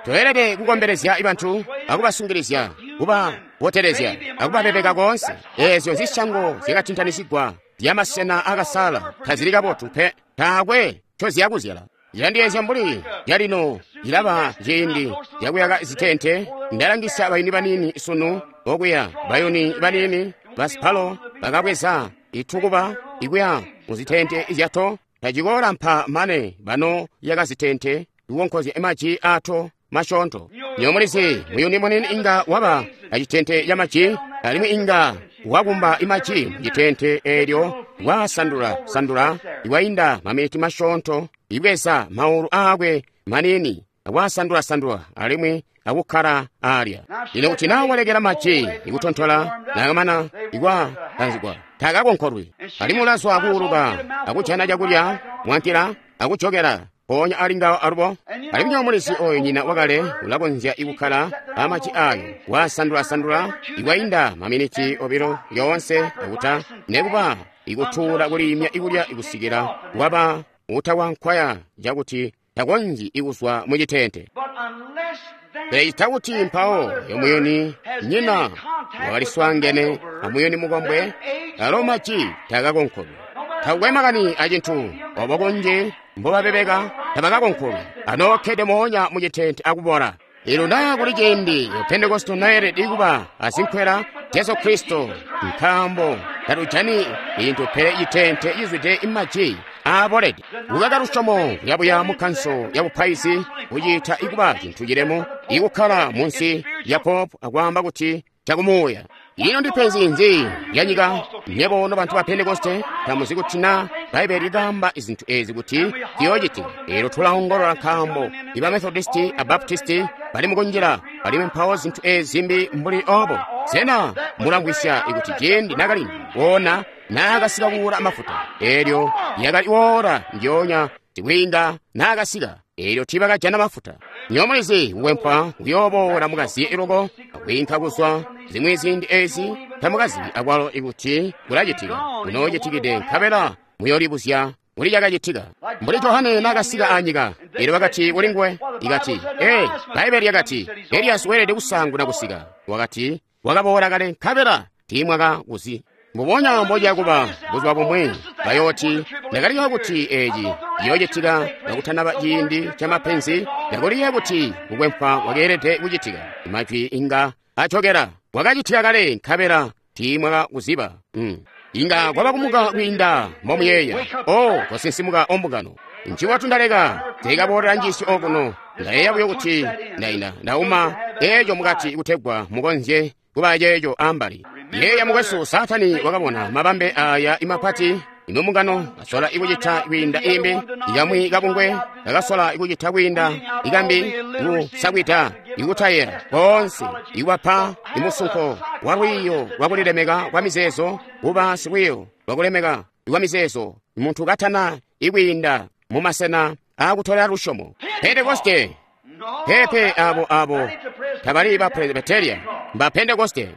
Toelede kukombelezya bantu akubasungilizya, kubabotelezya akubabebeka koonse. Eezyo zisyango zyakatintanisigwa zyamasena akasala tazili kabotu pe, taakwe ncoziyakuzyala. Cilandiyeezya mbuli calino cilaba ciindi cakuyaka zitente. Ndalangisa bayuni baniini sunu okuya, bayuni baniini basipalo bakabweza itukuba ikuya muzitente zyato. Tacikoolampa mane bano yaka zitente kukonkozya maji ato masyoonto. Nywebo mulizi, muyuni muniini inga waba acitente ca maji, alimwi inga wakumba maji mucitente eelyo wasandula-sandula iwainda maminiti masyoonto, ibweza maulu aakwe maniini akwasandula-sandula alimwi akukkala alya. Lino kuti naa walekela maji ikutontola naakamana ikwakanzigwa, takakonkolwi, alimwi ulazwa kuuluka akujana cakulya mwankila akujokela mpoonya ali ngawo alubo. Alimwi nywebo mulizi oyo nyina wakale ulakonzya ikukkala amaji ayo wasandula-sandula ikwainda maminiti obilo yoonse akuta nekuba ikutuula kuliimya ikulya ikusikila waba utawankwaya cakuti takonzyi ikuzwa mucitente. Pele cita kuti mpawo yo muyuni nyina wakaliswaangene amuyuni mukombwe, alo maji takakonkolwi. Takukwe makani acintu obo kunji mbobabebeka tabakakonkolwi, anookkede moonya mucitente akubola. Elo naa kuli ciindi Pentekoste naelede kuba azinkwela Jesu Kristo, nkaambo tatujani cintu pele citente cizwide maji aabolede. Kukaka lusyomo kuyabuya mu kanso ya bupaizi kuciita ikuba cintu cilemu, ikukkala munsi lya popu akwaamba kuti cakumuuya. Ino ndipenzi nzi lyanyika? Nywebo nobantu ba Pentekoste tamuzi kuti naa Bbaibbele likaamba zintu ezi kuti ziyoocitika. Eelyo tulaongolola nkaambo iba Methodisti a Baptisti bali mukunjila, alimwi mpawo zintu ezi zimbi mbuli obo. Sena mulamvwisya kuti ciindi nakalindu woona naakasika kuula mafuta, eelyo yakali woola ndyoonya sikwiinga naakasika, eelyo tiibakajana mafuta. Nywebo mulizi kukwempwa kuyooboola mukaziye loko akwiinka kuzwa zimwi ziindi ezi tamukazibi akwalo ikuti kulacitika kunoocitikide, nkabela muyoolibuzya kuli cakacitika. Mbuli Johane naakasika anyika, eelyo bakati kuli nguwe, ikati, Bbaibbele lyakati Eliyasi weelede kusaanguna kusika. Wakati, wakaboola kale nkabela tiimwakakuzi. Mbubonya mboja kuba buzuba bumwi bayooti ndakaliya kuti eci ciyoocitika kakutanaba ciindi ca mapenzi, ndakaliya kuti kukwempwa kwakeelede kucitika. Majwi inga acokela kwakacitika kale nkabela tiimwakakuziba. Inga kwaba kumuka kwiinda mbomuyeeya. O kosinsimuka ombungano. Nchiwatu ndaleka teekaboolela njiisyo okuno. Ndayeeya buyo kuti ndaina ndauma eeco mukati kutegwa mukonzye kuba ceeco ambali. Yeeya mukwesu, Saatani wakabona mabambe aya imapati imbungano kasola ikucita kwiinda imbi, ikamwi kabungwe kakasola ikucita kwiinda ikambi, kusakwita ikutayela konse ikubapa imusunko wa lwiiyo lwakulilemeka kwa mizeezo, kuba silwiiyo lwakulemeka kwa mizeezo, muntu katana ikwiinda mumasena akutolera lusyomo. Pentekoste pepe abo tabali ba Presbyteria, mba Pentekoste.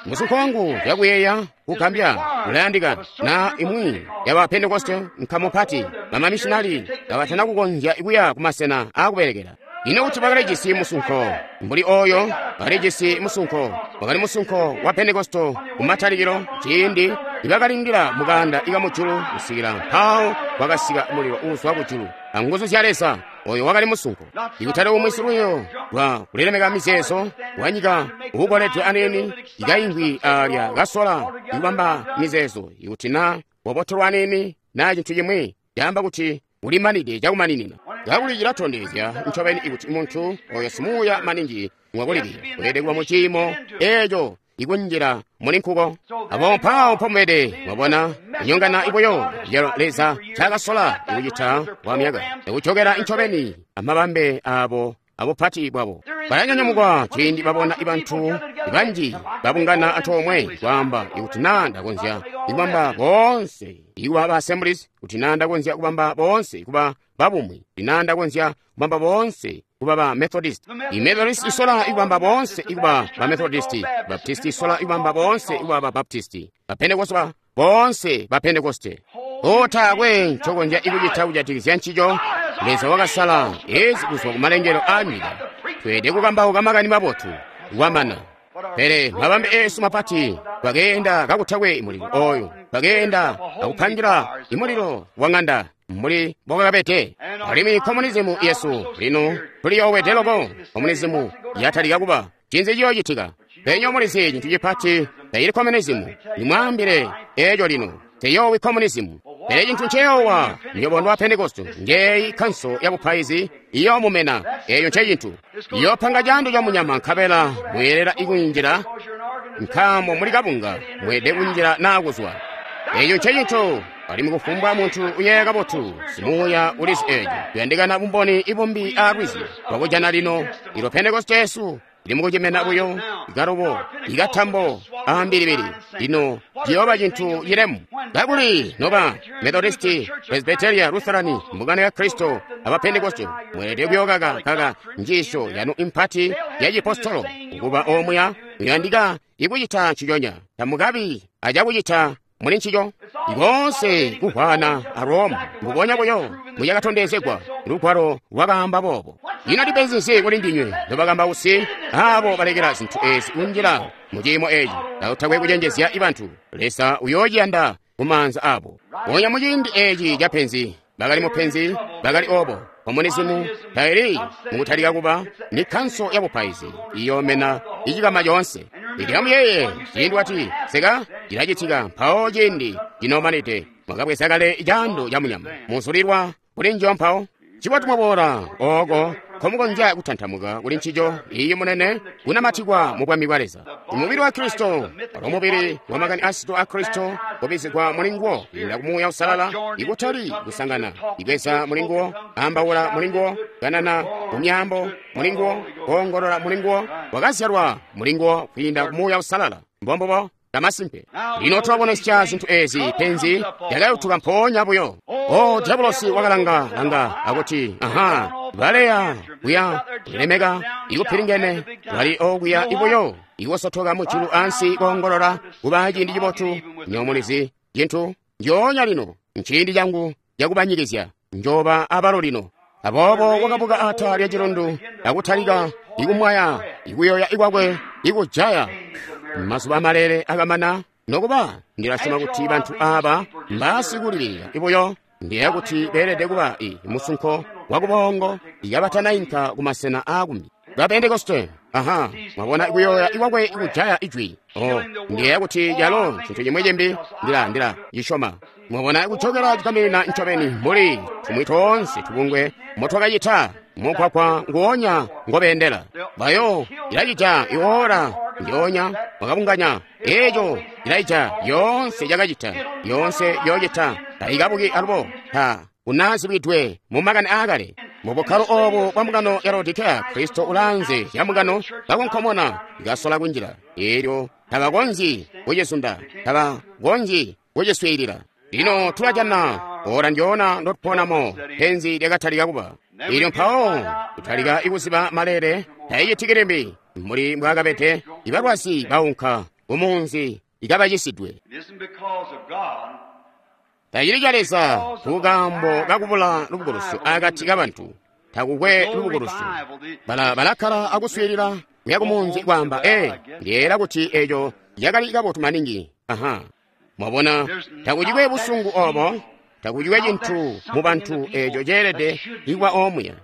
Musunko wangu yakuyeeya kugambya ulayandika na imwi yaba Pentekoste nkamu pati bamamishinali kabatana kukonzya kuya kumasena akubelekela. Ino kuti bakalijisi musunko mbuli oyo, bakalijisi musunko, wakali musunko wa Pentekoste kumatalikilo ciindi ibakalindila mukanda ikamujulu kusikila mpawo kwakasika mulilo uuzwa kujulu anguzu zya Leza. Oyo wakali musunko. Ikutali umwi silwiiyo lwa kulilemeka mizeezo wanyika uukoledwe aneni ikaingwi alya kasola ikubamba mizeezo ikuti na wabotolwa aneni na cintu cimwi caamba kuti ulimanide cakumaninina. Kakuli cilatondezya ncobeni ikuti muntu oyo simuuya maningi mwakulilira weelede kuba mu ciimo eeco ikunjila muli nkuko. Abo mpawo mpomwede mwabona kunyongana ibuyo yalo Leza cakasola ikucita kwa myaka ikucokera ncobeni amabambe abo abupati bwabo. Balanyanyamukwa ciindi babona ibantu banji babungana antoomwe kwaamba ikuti naa ndakonzya ikubamba boonse ikuba ba Assemblies, kuti naa ndakonzya kubamba boonse kuba babumwi, kuti naa ndakonzya kubamba boonse kuba ba Methodist. I Methodist isola ikubamba boonse ikuba ba Methodist, Baptist isola ikubamba boonse ikuba ba Baptist, ba Pentecost boonse ba Pentecoste. Otaakwe ncokonzya ikucita kujatikizya ncico. Leza wakasala ezi kuzwa kumalengelo a nyika. Tweelede kukambauka makani mabotu kwamana. Pele mabambe eesu mapati twakeenda kakutakwe mulilo oyo, twakeenda akupangila imulilo wa ng'anda mbuli mbokakabede. Alimwi komunizimu yesu lino tuliyoowede loko. Komunizimu yatalika kuba cinzi ciyoocitika. Penyo mulizi cintu cipati tayili komunizimu. Nimwaambile eeco lino teyoowi komunizimu. Pele cintu nceyoowa nyobondo wa Pentekoste njeyi kanso ya bupaizi iyoomumena. Eeyo ncecintu iyopanga caando ca munyama nkabela mweelela ikunjila nkaambo muli kabunga mweelede kunjila naa kuzwa. Eeyo ncecintu alimwi kufumbwa muntu uyeeya kabotu simuuya ulizi eeco. Kuyandikana bumboni ibumbi aalwizi twakujana lino ilo Pentekoste yesu ili mukucimena buyo ikalubo ikatambo ambilibili. Lino ciyooba cintu cilemu kakuli noba Methodisti, Presbyteria, Lutherani, mbungano ya Kristo aba Pentekoste mweelede kuyookaka kaka njiisyo yanu impati ya cipostolo kukuba omuya muyandika ikucita nciconya. Tamukabi acakucita muli ncico. Ikonse kuhwana a Roma mbubonya buyo mucakatondezegwa lugwalo lwakaamba boobo. Ino ndipenzi nzi kuli ndinywe nobakambausi abo balekela zintu ezi kunjila mu ciimo eci kakutakwe kucenjezya ibantu? Leza uyoociyanda kumaanza abo. Ponya muciindi eci ca penzi bakali mupenzi bakali obo. Komunizimu taili mukutalika kuba ni kanso ya bupaizi iyoomena icikama coonse. Ilyamuyeeye ciindi wati seka cilacitika mpawo ciindi cinomanide mwakabweza kale caando ca munyama muzulilwa kuli njiyo mpawo. Cibotu mwaboola ooko nkomukonzya kutantamuka kuli ncico iyi munene kunamatikwa mu bwami bwa Leza. Umubili wa Kristo walo mubili wa makani asito a Kristo kubizigwa muli nguwo kwiinda ku Muuya Usalala, ikutali kusangana ibweza muli nguwo, ambaula muli nguwo, kanana mu myaambo muli nguwo, koongolola muli nguwo, wakazyalwa muli nguwo kwiinda ku Muuya Usalala. Mbombubo kamasimpe. Lino tulabonesya zintu ezi penzi lyakayutuka mpoonya buyo. O diabulosi wakalanga langa akuti aha baleya kuya kulemeka ikupilingene bali okuya ibuyo ikusotoka mujulu ansi koongolola kuba ciindi cibotu. Nyomulizi cintu njoonya lino nciindi cangu cakubanyikizya njoba abalo lino. Aboobo wakabuka ata lya cilundu akutalika ikumwaya ikuyoya ikwakwe ikujaya. Mazuba amalele akamana Nokuba ndilasyoma kuti bantu aaba mbaasikulibilika ibuyo. Ndiyeeya kuti beelede kuba i musunko wakubongo ikabatanainka kumasena aakumbi. Ba Pentekoste, aha, mwabona kuyoya ikwakwe kujaya ijwi. Oh, ndiyeeya kuti calo cintu cimwi cimbi ndila cisyoma. Mwabona kucokela cikaminina ncobeni mbuli tumwi toonse tubungwe motwakacita mugwagwa nguonya ngobeendela. Bayo ilacita iwoora ndyoonya mwakabunganya eeco ilaija yoonse yakacita yoonse yoocita taikabuki alubo ta unazibwidwe mu makani aakale. Mu bukkalo oobu bwa mbungano ya Laodikeya, Kristo ulaanze ya mbungano kakonkomona ikasola kunjila. Eelyo tabakonzyi kucizunda, tabakonzyi kuciswiilila. Lino tulajana ora ndyona ndotuponamo penzi lyakatalika kuba. Eelyo mpawo kutalika ikuziba maleele taicitikili limbi mbuli mbwaakabede. Ibalwazi baunka kumunzi ikabacisidwe. Tacili ca Leza kukaambo kakubula lubukulusyo akati kabantu. Takukwe lubukulusyo. Balakkala akuswiilila kuya kumunzi kwaamba, ndiyeera kuti eco yakali kabotu maningi. Aha. Mwabona, takucikwe busungu obo, takucikwe cintu mu bantu eco ceelede ikuba omuya.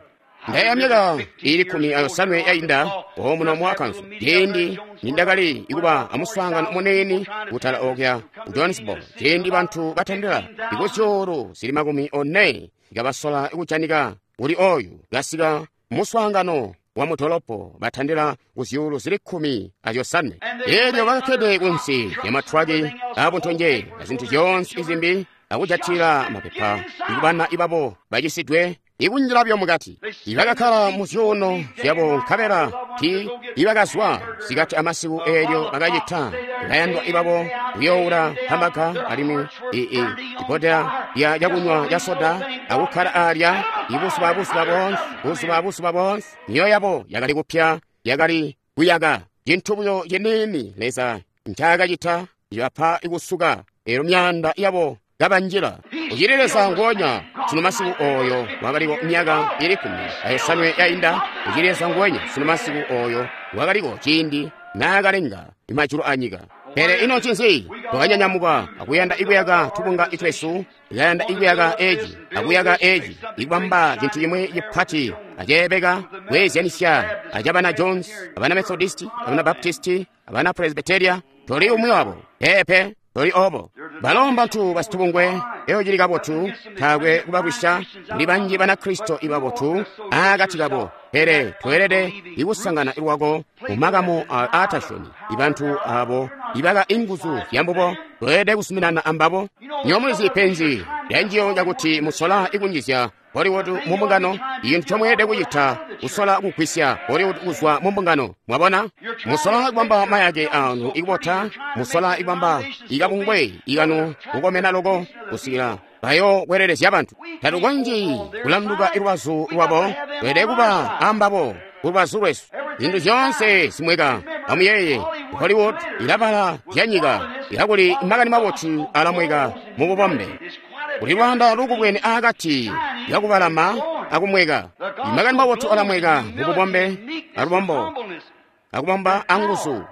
Ndayeeya myaka iili 15 yainda omuno mu Arkansas, ciindi nindakali ikuba amuswaangano muniini kutala okuya ku Jonesboro, ciindi bantu batandila ikuzyuulu zili 40 kabasola kujanika kuli oyu kasika muswaangano wa mudolopo batandila kuzyuulu zili 15. Eelyo bakakkede kunsi lya matwaki abuntonje azintu zyoonse izimbi akujatila mapepa ikubana ibabo bacisidwe ikunjila byo mukati. Ibakakkala mu zyuuno zyabo nkabela ti ibakazwa sikati amasiku eelyo bakacita bayandwa ibabo kuyoula hamaka alimwi ibodela lya cakunywa ca soda akukkala alya ibuzuba buzuba boonse. Myoyo yabo yakali kupya, yakali kuyaka. Cintu buyo ciniini Leza ncaakacita ibapa ikusuka eelyo myaanda yabo kabanjila. Ucili Leza nguonya sunu masiku oyo wakaliko myaka ili 15 yainda. Ucili Leza nguonya sunu masiku oyo wakaliko ciindi naakalenga majulu anyika. Pele ino ncinzi? Twakanyanyamuka akuyanda ikuyaka tubunga itwesu, ikayanda ikuyaka eci akuyaka eci, ikubamba cintu cimwi cipati aceebeka kweezyanisya acabana Jones, abana Methodisti, abana Baptisti, abana Presbyteria. Toli umwi wabo. Peepe, toli obo. Balo mbantu basitubungwe, eyo cili kabotu, taakwe kubabwisya. Kuli banji Banakristo ibabotu akati kabo, pele tweelede ikusangana lwako mu makamu aatasyomi. Ibantu abo ibaka inguzu zyambubo, tweelede kusuminana ambabo. Nyomulizi penzi lyanjiyo cakuti musola ikunjizya Hollywood mu mbungano. Icintu comweelede kucita kusola kugwisya Hollywood kuzwa mu mbungano. Mwabona, musola kubamba mayake anu ikubota, musola ikubamba ikabungwe ikanu kukomena loko kusikila bayokwelelezya bantu. Tatukonzyi kulanduka ilubazu lwabo, tweelede kuba ambabo kulubazu lwesu. Zintu zyoonse zimweka. Amuyeeye, Hollywood ilabala zyanyika, ilakuli makani mabotu alamweka mu bubombe. Kuli lwaanda lukubwene akati yakubalama akumweka. Makani mabotu alamweka mu bubombe alubombo akubomba anguzu.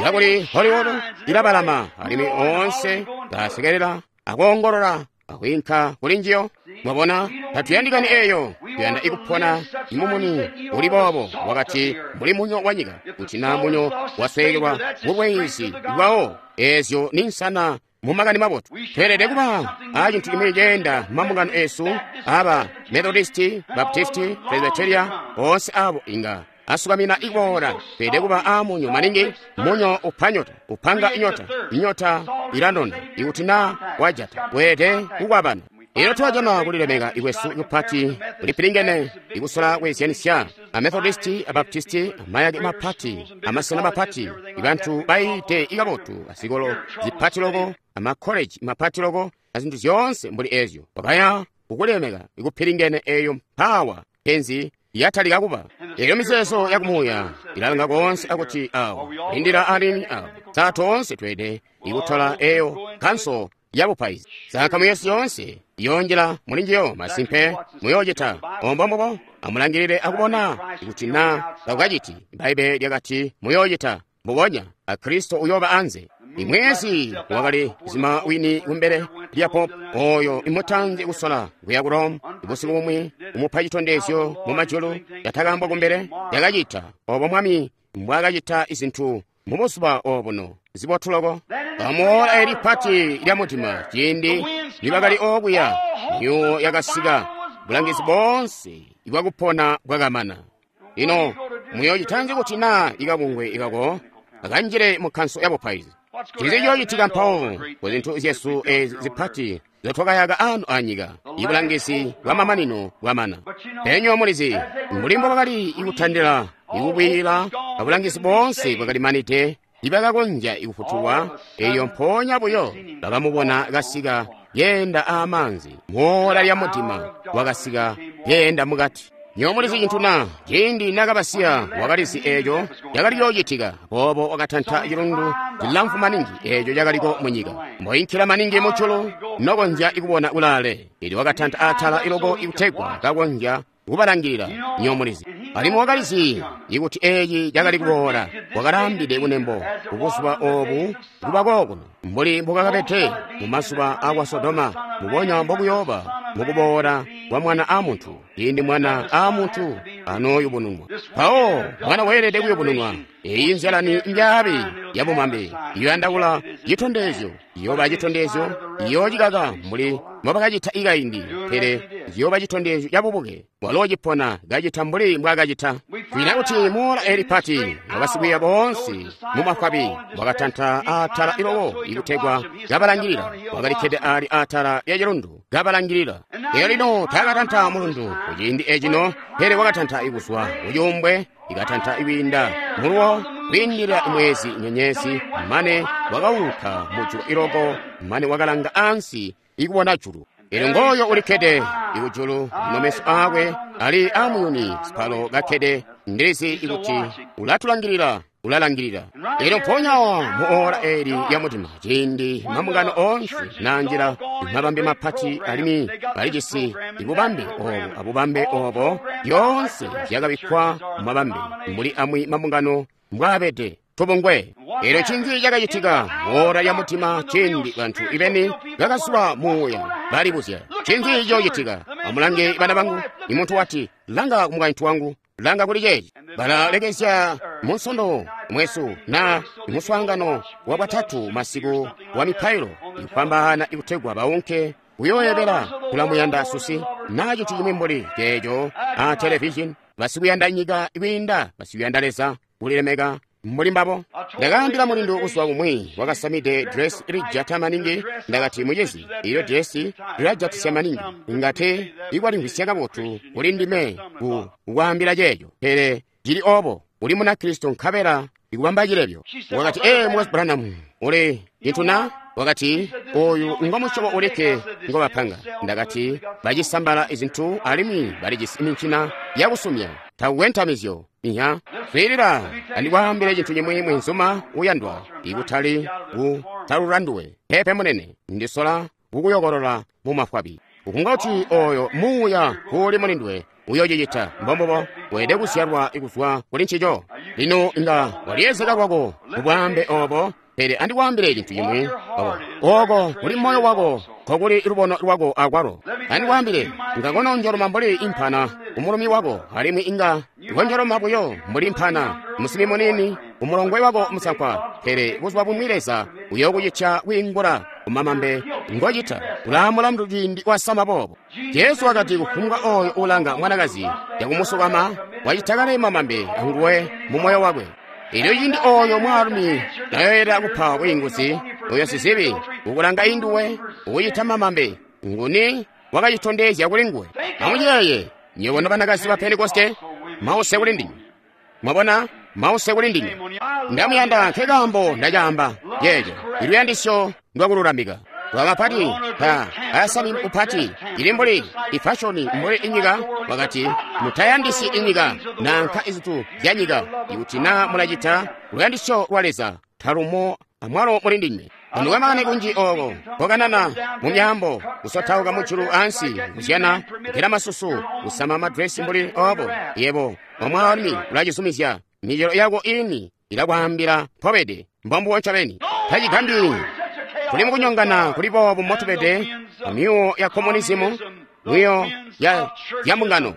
Yakuli Hollywood ilabalama alimwi oonse kasekelela akoongolola akwiinka kuli njiyo. Mwabona, tatuyandikani eyo. Tuyanda ikupona imumuni uli boobo wakati mbuli munyo wa nyika. Kuti na munyo wasweekelwa mubwezi bwawo, ezyo ni nsana mu makani mabotu. Tweelede kuba a cintu cimwi ceenda mumambungano esu aba Methodisti, Baptisti, Presbyteria, onse abo inga asukamina ikuboola. Tweelede kuba a munyo maningi. Munyo upa nyota, upanga inyota, inyota ilanona. Ikuti na wajata, weelede kukwabana. Elo twajana kulilemeka ikwesu kupati kulipilingene ikusola kweezyanisya a Methodisti, a Baptisti, amayake mapati, amasena mapati, ibantu baite ikabotu, azikolo zipati loko, amakkoleji mapati loko, azintu zyoonse mbuli ezyo. Wakaya kukulemeka ikupilingene eyo mpawa penzi yatalika kuba. Elyo mizeezo yakumuuya ilalanga koonse akuti awo lindila alini awo. Saa toonse tweede ikutola eyo kanso yabupaizi. Saakamu yesu yoonse yonjila mulinjiyo masimpe muyoocita ombombobo. Amulangilile akubona kuti na takukaciti. Bbaibele lyakati muyoocita mbubonya, a Kristo uyooba anze. Imwezi wakali zima wini kumbele lya pope oyo imutanzi kusola kuya ku Rome busiku bumwi kumupa citondezyo mu majulu yatakambwa kumbele yakacita obo mwami mbwakacita izintu mu buzuba obuno zibotu loko. Amuola eli pati lya mudima ciindi nibakali okuya myuwo yakasika bulangizi boonse ibwakupona bwakamana. Lino muyoocitanzi kuti naa ikabungwe ikako akanjile mu kkanso ya bupaizi? Ncinzi ciyoocitika mpawo ku zintu zyesu ezi zipati zotwakayaka anu anyika? Ibulangizi bwa mamanino bwamana. Penyo mulizi mbuli mbobakali ikutandila ikubwila abulangizi boonse bwakali manide ibakakonzya ikufutulwa. Eyo mpoonya buyo bakamubona kasika yeenda amaanzi moola lya mudima wakasika yeenda mukati. Nyo mulizi cintu na ciindi nakabasiya wakalizi eeco cakali yoocitika. Boobo wakatanta cilundu cilamfu maningi eeco cakaliko munyika mboinkila maningi mujulu nokonzya ikubona kulaale. Elyo wakatanta atala iloko ikutegwa kakonzya kubalangilila. Nyo mulizi alimwi wakalizi ikuti eeci cakali kuboola. Wakalaambide kunembo kubuzuba oobu kuba kookuno mbuli mbukakabede mu mazuba akwa Sodoma, mubonya mbokuyooba mukuboola kwa Mwana a Muntu, ciindi Mwana a Muntu anooyubununwa. Mpawo Mwana weelede kuyubununwa. Eyi nzyalani mbyaabi yabumambe iyoyandaula citondezyo, iyooba citondezyo, iyoocikaka mbuli mbobakacita ikaindi, pele ciyooba citondezyo cabubuke. Walo cipona kacita mbuli mbwaakacita. Twina kuti moola eli pati abasikwiiya boonse mu mafwabi wakatanta atala iloko ikutegwa kabalangilila. Wakalikkede ali atala lya cilundu kabalangilila. Elyo lino taakatanta mulundu kuciindi ecino, pele wakatanta ikuzwa kucuumbwe, ikatanta ikwiinda muluwo kwiindila mwezi nyenyezi, mane wakauluka mujulu iloko, mane wakalanga ansi ikubona julu. Elyo ngooyo ulikkede ikujulu, lino meso aakwe ali amuyuni sipalo kakkede. Ndilizi ikuti ulatulangilila, ulalangilila. Elyo mpoonya awa mu oora eli lya mudima, ciindi mambungano oonse nanjila mabambe mapati alimwi balijisi ibubambe obo abubambe obo, lyoonse zyakabikkwa mumabambe mbuli amwi mambungano mbwaabede tubungwe. Elyo ncinzi cakacitika mu oora lya mudima ciindi bantu ibeni bakazula muuya balibuzya ncinzi ciyoocitika? Amulange bana bangu. Imuntu wati, langa kumukaintu wangu, langa kuli ceeci. Balalekezya munsondo mwesu na muswaangano wa bwatatu masiku wa mipailo ikupambaana ikutegwa baunke kuyooyebela kulamuyanda susi na cintu cimwi mbuli ceeco a televishini. Basikuyanda nyika kwiinda basikuyanda Leza kulilemeka mbuli mbabo. Ndakaambila mulindu buzuba bumwi wakasamide dresi lijata maningi. Ndakati, mucizi, iyo dresi lilajatisya maningi, ngate ikwalimvwisya kabotu kuli ndime ku kukwaambila ceeco, pele cili obo uli Munakristo nkabela ikubamba cilebyo. Wakati, ee, Mukwesu Branham, uli cintu na? Wakati, oyu ngo musyobo ulikke ngobapanga. Ndakati, bacisambala izintu alimwi balijisi mincina yakusumya takukwe ntamizyo. Inya swiilila, andikwaambile cintu cimwi mwenzuma uyandwa, ikutali kutalula nduwe pepe munene, ndisola kukuyokolola mu mafwabi. Kukunga kuti oyo muuya uuli muli nduwe uyocicita mbombobo, weelede kuzyalwa kuzwa kuli ncico. Lino inga waliyezeka lwako mubwaambe obo, pele andikwaambile cintu cimwi, oko kuli moyo wako nkokuli lubono lwako akwalo. Andikwaambile, inga kononjoloma mbuli impana umulumi wako, alimwi inga konjoloma buyo mbuli impana musimi munini umulongwe wako musankwa, pele buzuba bumwi Leza uyokucitya kwiingula kumamambe ngocita. Ulamulandu ciindi wasama boobo. Jesu wakati kufumbwa oyo ulanga mwanakazi yakumusukama wacita kale mamambe anguwe mu moyo wakwe. Elyo ciindi oyo mwaalumi nayoyela kupa bwiinguzi, oyo sizibi ukulanga induwe ukucita mamambe, nguni wakacitondezya kuli nguwe? Amuyeeye nywebo nobanakazi ba Pentekoste, mause kuli ndinywe. Mwabona, mause kuli ndinywe. Ndamuyanda nkekaambo ndacaamba yeeco iluyandisyo ndwakululamika. Wamapati ta asami upati ili mbuli ifashoni mbuli inyika. Wakati mutayandisi inyika nanka izintu zya nyika. Ikuti na mulacita luyandisyo lwa Leza talumo amwalo muli ndinywe. Anukamane kunji oko kokanana mu myaambo, kusotauka mujulu ansi, kuzyana, kugela masusu, kusama madresi mbuli obo. Yebo omwaalumi ulacizumizya micelo yako ini ilakwaambila mpobede mbombubo ncobeni. Tacigambyi tuli mukunyongana kuli boobu motubede, myuwo ya communism, myuwo ya mbungano,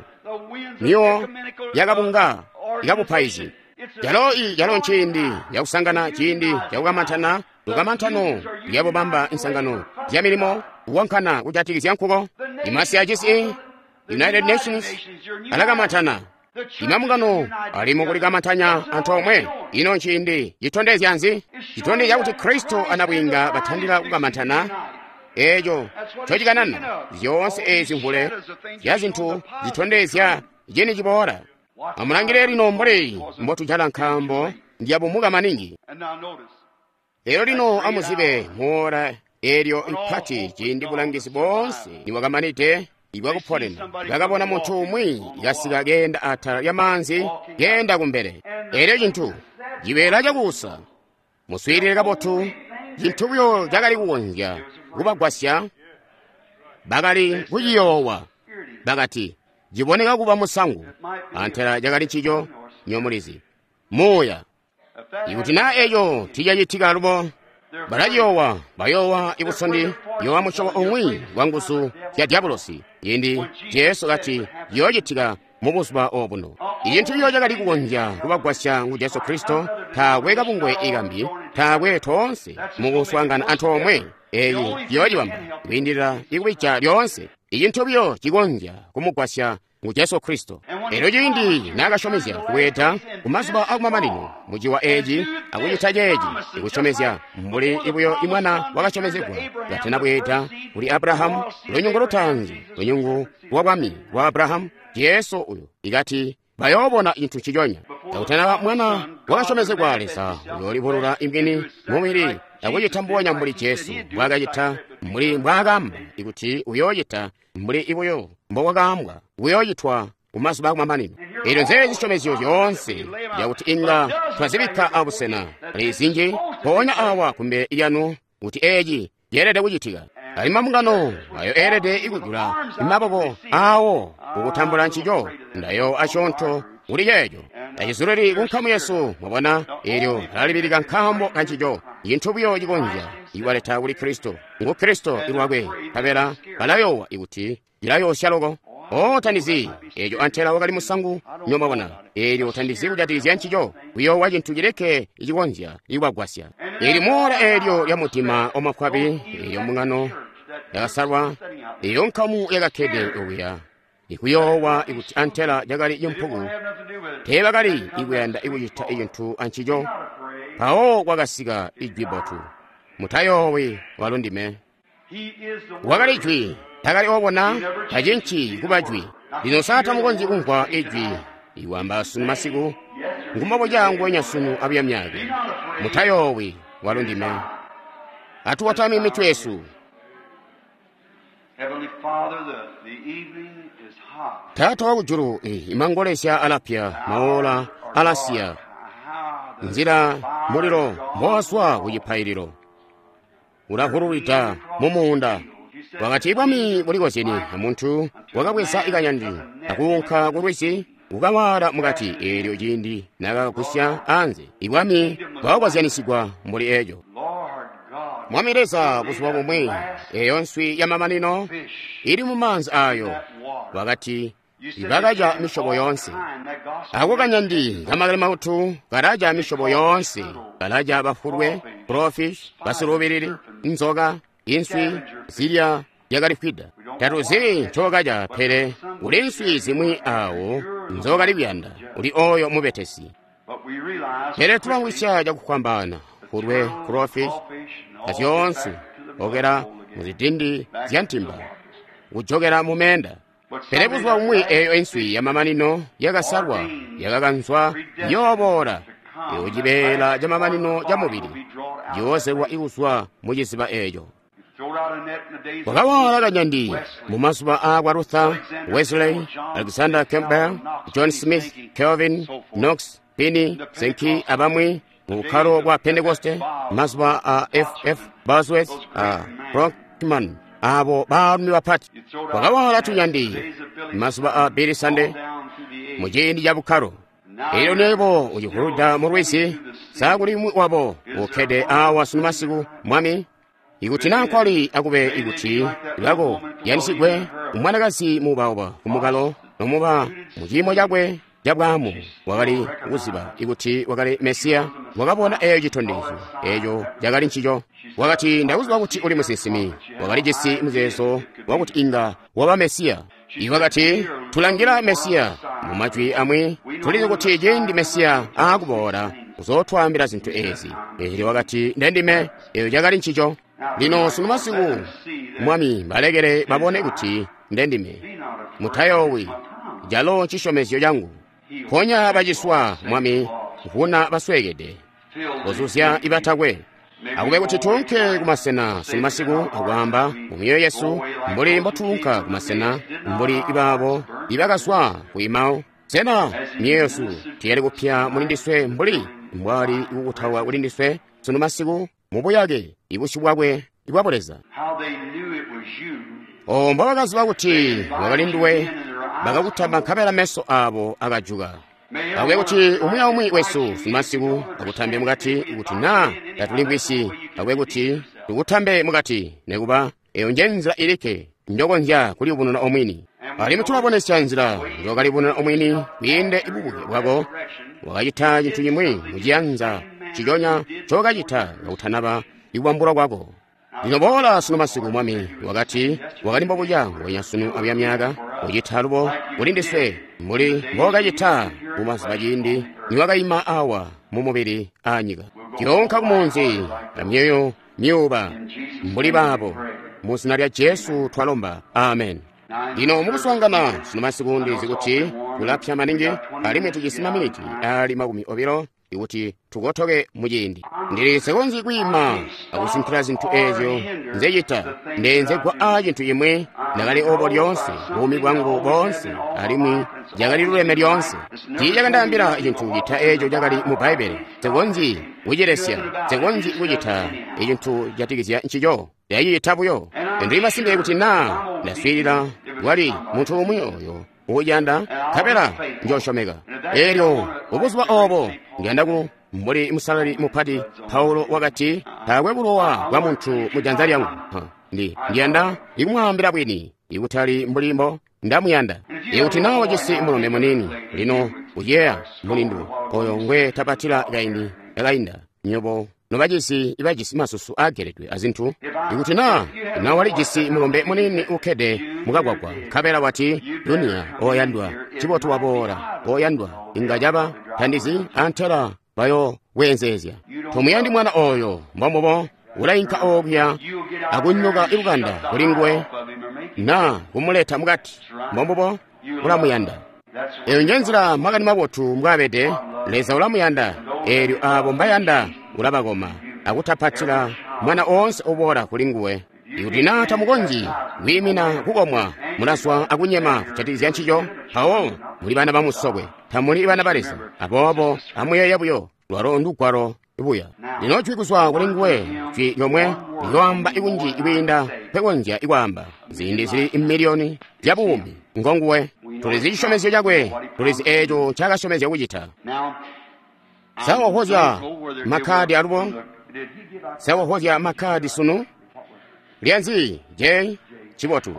myuwo ya kabunga ikabupaizi. Yalo yalo nciindi yakusangana, ciindi cakukamantana, lukamantano lyabubamba insangano zya milimo kukonkana kujatikizya nkuko. Imasi acisi United Nations alakamantana. Imambungano ali mukulikamantanya antoomwe. Ino nciindi citondezya nzi? Citondezya kuti Kristo anabwinga batandila kukamantana. Eeco ncocikanana. Zyoonse eezi mvule zya zintu zitondezya cini ciboola. Amulangile lino mbuli mbotujala nkaambo ndiyabumuka maningi. Lero lino amuzibe muora eelyo ipati ciindi bulangizi boonse niwakamanide ibwakuponena bakabona muntu umwi kasika keenda atala lyamanzi keenda kumbele. Eelyo cintu cibeela cakuusa. Muswiilile kabotu, cintu buyo cakali kukonzya kubagwasya bakali kuciyoowa. Bakati ciboneka kuba musangu, antela cakali ncico nyomulizi muuya. Ikuti naa eco ticacitika alubo, balaciyoowa, bayoowa ibusondi, yoowa musyobo umwi wa nguzu zya dyabulosi. Ciindi Jesu kati ciyoocitika mu buzuba obuno. Icintu ciyo cakali kukonzya kubagwasya ngu Jesu Kristo. Taakwe kabungwe ikambi, taakwe toonse mukuswaangana antoomwe. Eeci ciyoocibamba kwiindilila ikubija lyoonse. Icintu biyo cikonzya kumugwasya ngu Jesu Kristo. Elyo ciindi naakasyomezya kubweeda kumazuba akumamanino muciwa eeci akucita ceeci, ikusyomezya mbuli ibuyo imwana wakasyomezegwa katana bweeda kuli Abrahamu, lunyungu lutaanzi, lunyungu lwa bwami lwa Abrahamu, Jesu uyu ikati bayoobona cintu nciconya. Kakutanaba mwana wakasyomezegwa, Leza uyoolibulula imwini mumubili akucita mbubonya mbuli Jesu mbwaakacita, mbuli mbwaakaamba ikuti uyoocita, mbuli ibuyo mbokwakaambwa kuyoocitwa kumazuba akumamanino. Eelyo nzeezi zisyomezyo zyoonse zyakuti inga twazibikka abusena ali zinji mpoonya awa kumbele lyanu kuti eeci ceelede kucitika. Ali mambungano ayo eelede ikujula maboko awo kukutambula ncico, ndayo asyoonto kuli ceeco. Tacizulili kunkamu yesu, mwabona, eelyo alalibilika nkaambo kancico. Cintu buyo cikonzya iwaleta kuli Kristo ngu Kristo ilwakwe, nkabela balayoowa ikuti cilayoosya loko. O tandizi eeco antela wakali musangu, nyomwabona, eelyo tandizi kujatikizya ncico, kuyoowa cintu cileke icikonzya ikubagwasya. Eli moora eelyo lya mutima wamafwabi, eelyo mbungano yakasalwa, eeyo nkamu yakakkede okuya ikuyoowa ikuti antela cakali cimpuku, teebakali ikuyanda ikucita icintu ancico. Mpawo kwakasika ijwi bbotu, mutayoowi, walo ndime. Wakali jwi, takali obona, tacinci kuba jwi. Lino sa tamukonzyi kumvwa ijwi iwamba sunu masiku, ngumbobuca nguwenya sunu abuya myaka. Mutayoowi, walo ndime. Atuwatame mitwe yesu. Taata wakujulu, imangolezya alapya, maola alasiya, nzila mulilo mbowazwa kucipaililo ulahululwida mumuunda. Wakati bwami bulikozyene amuntu wakabweza ikanyandi akuunka kulwizi kukawaala mukati. Eelyo ciindi naakagusya anze, ibwami bwakakozyanisigwa mbuli eeco. Mwami Leza, buzuba bumwi eeyo nswi yamamanino ili mumaanzi ayo, wakati ibakaca misyobo yoonse. Ako kanyandi kamakali mautu kalaca misyobo yoonse, kalaca bafulwe, crawfish, basiluubilili, nzoka, inswi zilya yakalifwida. Tatuzi ncokaca, pele kuli nswi zimwi awo nzokali kuyanda, uli oyo mubetesi. Pele tulamwisya cakufwambaana fulwe, crawfish, azyoonse okela muzidindi zya ntimba kujokela mumeenda. Pele buzuba bumwi eeyo inswi yamamanino yakasalwa yakakanzwa yooboola, eyo cibeela camamanino ca mubili ciyoozelwa ikuzwa muciziba eeco. Wakawaala kanyandi mumazuba aakwa Luther, Wesley, Alexander Campbell, John Smith, Calvin, Knox, Finney, Sankey abamwi mu bukkalo bwa Pentekoste, mazuba a F.F. Bosworth, a Brockman, abo baalumi bapati. Wakawaala tunyandi mazuba a Billy Sunday muciindi ca bukkalo. Elyo nebo ucihuluda mu lwizi, sa kuli umwi wabo ukkede awa sunu masiku, Mwami? Ikuti na nkwali akube ikuti lwako yanisigwe umwanakazi muubauba kumukalo nomuba mu ciimo cakwe cabwaamu wakali kuziba ikuti wakali Mesiya, wakabona eeyo citondezyo, eeco cakali ncico. Wakati, ndakuziba kuti uli musinsimi. Wakali jisi muzeezo wakuti inga waba Mesiya. Iwakati, tulangila Mesiya. Mu majwi amwi, tulizi kuti ciindi Mesiya aakuboola uzootwaambila zintu eezi. Eelyo wakati, ndendime, eeyo cakali ncico. Lino sunu masiku, Mwami, balekele babone kuti ndendime. Mutayoowi, calo cisyomezyo cangu. Ponya baciswa, Mwami, vuna basweekede, kozuzya ibatakwe. Akube kuti tuunke kumasena sunu masiku akwaamba mu myoyo yesu mbuli mbotuunka kumasena mbuli ibaabo ibakazwa ku Emau. Sena myoyo yesu tiyali kupya muli ndiswe mbuli mbwali kukutawa kuli ndiswe sunu masiku mu buyake ibusyu bwakwe ibwa Buleza? O mbobakaziba kuti wakali nduwe, bakakutamba nkabela meso abo akajuka. Akube kuti umwi aumwi wesu sunu masiku akutambe mukati, kuti naa tatulimvwisyi, akube kuti tukutambe mukati, nekuba eyo nje nzila ilikke njokonzya kuliyubununa omwini. Alimwi tulabonesya nzila njokaliyubununa omwini kwiinde bubuke bwako. Wakacita cintu cimwi muciyanza ciconya ncokacita kakutanaba ikubambulwa kwako. Lino boola sunu masiku, Mwami, wakati wakali mbobuca nguwenya sunu abuya myaka, ucita lubo kuli ndiswe mbuli mbookacita mumazuba ciindi niwakaima awa mu mubili aanyika. Tuyoonka kumunzi amyoyo myuuba mbuli baabo. Mu zina lya Jesu twalomba, amen. Lino mukuswaangana sunu masiku ndizi kuti kulapya maningi, alimwi tujisi maminiti ali 20 ikuti tukotoke muciindi. Ndili nsekonzyi kwiima akusinkila zintu eezyo nzecita. Ndeenzegwa aa cintu cimwi. Ndakali obo lyoonse, buumi bwangu boonse, alimwi cakali luleme lyoonse. Tiicakandaambila cintu cita eeco cakali mu Bbaibbele. Nsekonzyi kucilesya, nsekonzyi kucita icintu catikizya ncico. Ndacicita buyo. Ndili masimpe kuti naa ndaswiilila kwali muntu umwi oyo uuyanda, nkabela njoosyomeka. Eelyo mubuzuba oobo ndiyanda ku mbuli musalali mupati Paulo wakati, taakwe bulowa bwa muntu mu janza lyangu. Ndiyanda ikumwaambila bwini, ikutali mbuli mbo ndamuyanda. Ikuti naa wajisi mulombe muniini, lino uyeeya mulindu oyo ngwe tapatila kaindi kakainda, nyobo nobajisi ibajisi masusu aageledwe azintu. Ikuti naa walijisi mulombe muniini ukkede mukagwagwa, nkabela wati, dunia oyandwa, cibotu waboola, oyandwa, inga caba tandizi antela bayo weenzeezya. Tomuyandi mwana oyo, mbombubo, ulainka okuya akunyoka ibukanda kuli nguwe naa kumuleta mukati, mbombubo, ulamuyanda. Eyo nje nzila makani mabotu mbwaabede. Leza ulamuyanda, eelyo aabo mbayanda ulabakoma akutapatila mwana oonse uboola kuli nguwe. Ikuti naa tamukonzyi kwiimina kukomwa, mulazwa akunyema kujatikizya ncico, mpawo muli bana bamusokwe, tamuli bana ba Leza. Aboobo amuyeeye buyo, lwalo ndugwalo buya. Lino jwi kuzwa kuli nguwe, jwi lyomwe liyoamba ikunji kwiinda nkwekonzya ikwaamba. Ziindi zili miliyoni zya buumi ngonguwe. Tulizi cisyomezyo cakwe, tulizi eeco ncaakasyomezya kucita. Sa wahozya makkadi alubo? Sa wahozya makkadi sunu? Lyanzi J cibotu.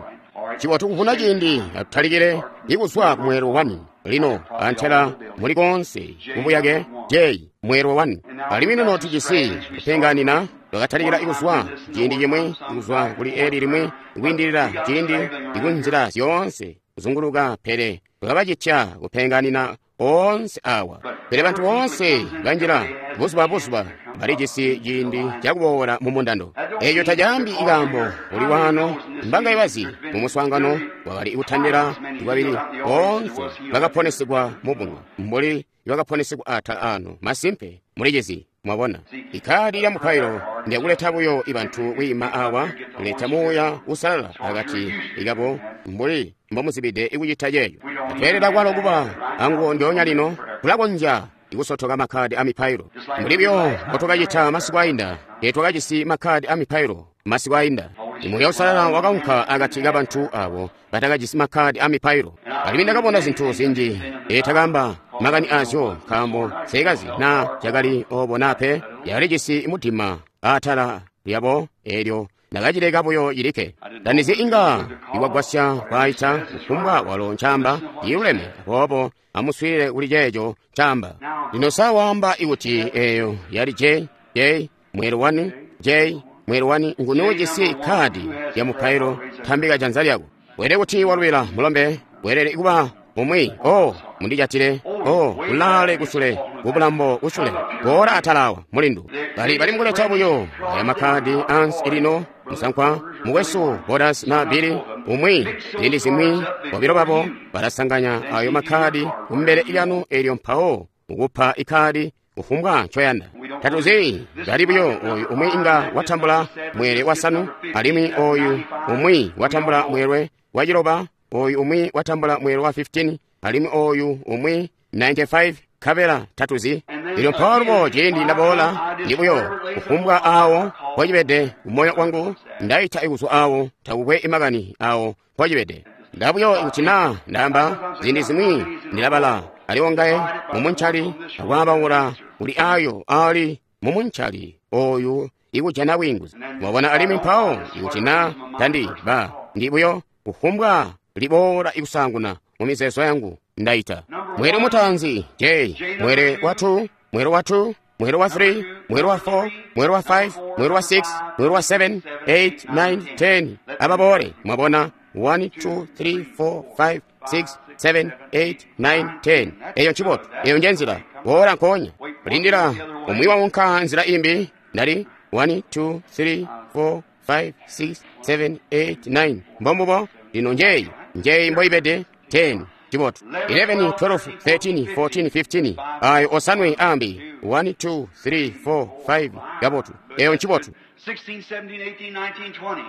Cibotu kuvuna ciindi atutalikile ikuzwa ku mweelwe 1. Lino antela muli koonse mubuyake J mweelwe 1. Alimwi lino tujisi kupenganina twakatalikila ikuzwa ciindi cimwi kuzwa kuli eli limwi kwiindilila ciindi ikunzila zyoonse kuzunguluka, pele twakabacitya kupenganina oonse awa. Pele bantu boonse banjila buzuba buzuba balijisi ciindi cakuboola mu mundando. Eeco tacaambi ikaambo kuli waano mbanga ibazi mu muswaangano wakali kutandila lwabili boonse bakaponesegwa mubunga mbuli bakaponesegwa atala ano. Masimpe mulicizi, mwabona. Ikadi lya mupailo ndyakuleta buyo ibantu kwiima awa, kuleta muuya usalala akati ikabo mbuli mbomuzibide ikucita ceeco. Tatweelela kwalo kuba anguwo ndyoonya lino, tulakonzya ikusotoka makkadi a mipailo. Mbuli buyo mbotwakacita masiku ainda, teetwakajisi makkadi a mipailo masiku ainda. Muuya Uusalala wakaunka akati kabantu abo batakajisi makkadi amipailo. Alimwi ndakabona zintu zinji etakamba makani azyo, nkaambo nsekazi naa cakali obo naa pe. Yakalijisi mudima atala lyabo, eelyo ndakacileka buyo cilikke. Tandizi inga iwagwasya kwaita kufumbwa walo ncaamba ciluleme, aboobo amuswiilile kuli ceeco ncaamba. Lino sa waamba ikuti eeyo yali J, J, mweelo 1, J, mweelo 1, nguni ujisi kkaadi lya mupailo, tambika janza lyako. Weelede kuti walwila mulombe, weelede kuba umwi. Oh, mundijatile. Oh, ulaale kusule, kubulambo kusule. Boola atala awa, mulindu. Bali bali mukuleta buyo aya makkadi ansi lino, musankwa, mukwesu Bodas na Billy, umwi, ziindi zimwi, bobilo babo balasanganya ayo makkadi kumbele lyanu, eelyo mpawo mukupa ikkadi kufumbwa ncoyanda. Tatuzi bali buyo oyu umwi inga watambula mweelwe wasanu, alimwi oyu umwi watambula mweelwe wa 9, oyu umwi watambula mweelwe wa 15, alimwi oyu umwi 95, kabela tatuzi. Elyo mpawo lubo ciindi ndaboola ndi buyo kufumbwa awo mpocibede kumoyo wangu, ndaita kuzwa awo, takukwe imakani awo mpocibede. Ndabuyo kuti naa ndaamba ziindi zimwi ndilabala aliwongaye mumuncali akwaambaula kuli ayo ali mumuncali oyu ikujana bwiinguzi. Mwabona? Alimwi mpawo ikuti naa tandi ba ndi buyo kufumbwa liboola ikusaanguna mu mizeezo yangu ndaita. Mweelwe mutaanzi J, mweelwe wa 2, mweelwe wa 2, mweelwe wa 3, mweelwe wa 4, mweelwe wa 5, mweelwe wa 6, mweelwe wa 7, 8, 9, 10. Ababoole. Mwabona? 1, 2, 3, 4, 5, 6, 7, 8, 9, 10. Eyo ncibotu. Eyo nje nzila. Boola nkoonya. Lindila. Umwi waunka nzila imbi. Ndali 1, 2, 3, 4, 5, 6, 7, 8, 9. Mbombubo. Lino njeyi. Njeyi mboibede. 10. Cibotu. 11, 12, 13, 14, 15. Ayo osanwe ambi. 1, 2, 3, 4, 5. Kabotu. Eyo ncibotu. 16, 17, 18, 19, 20.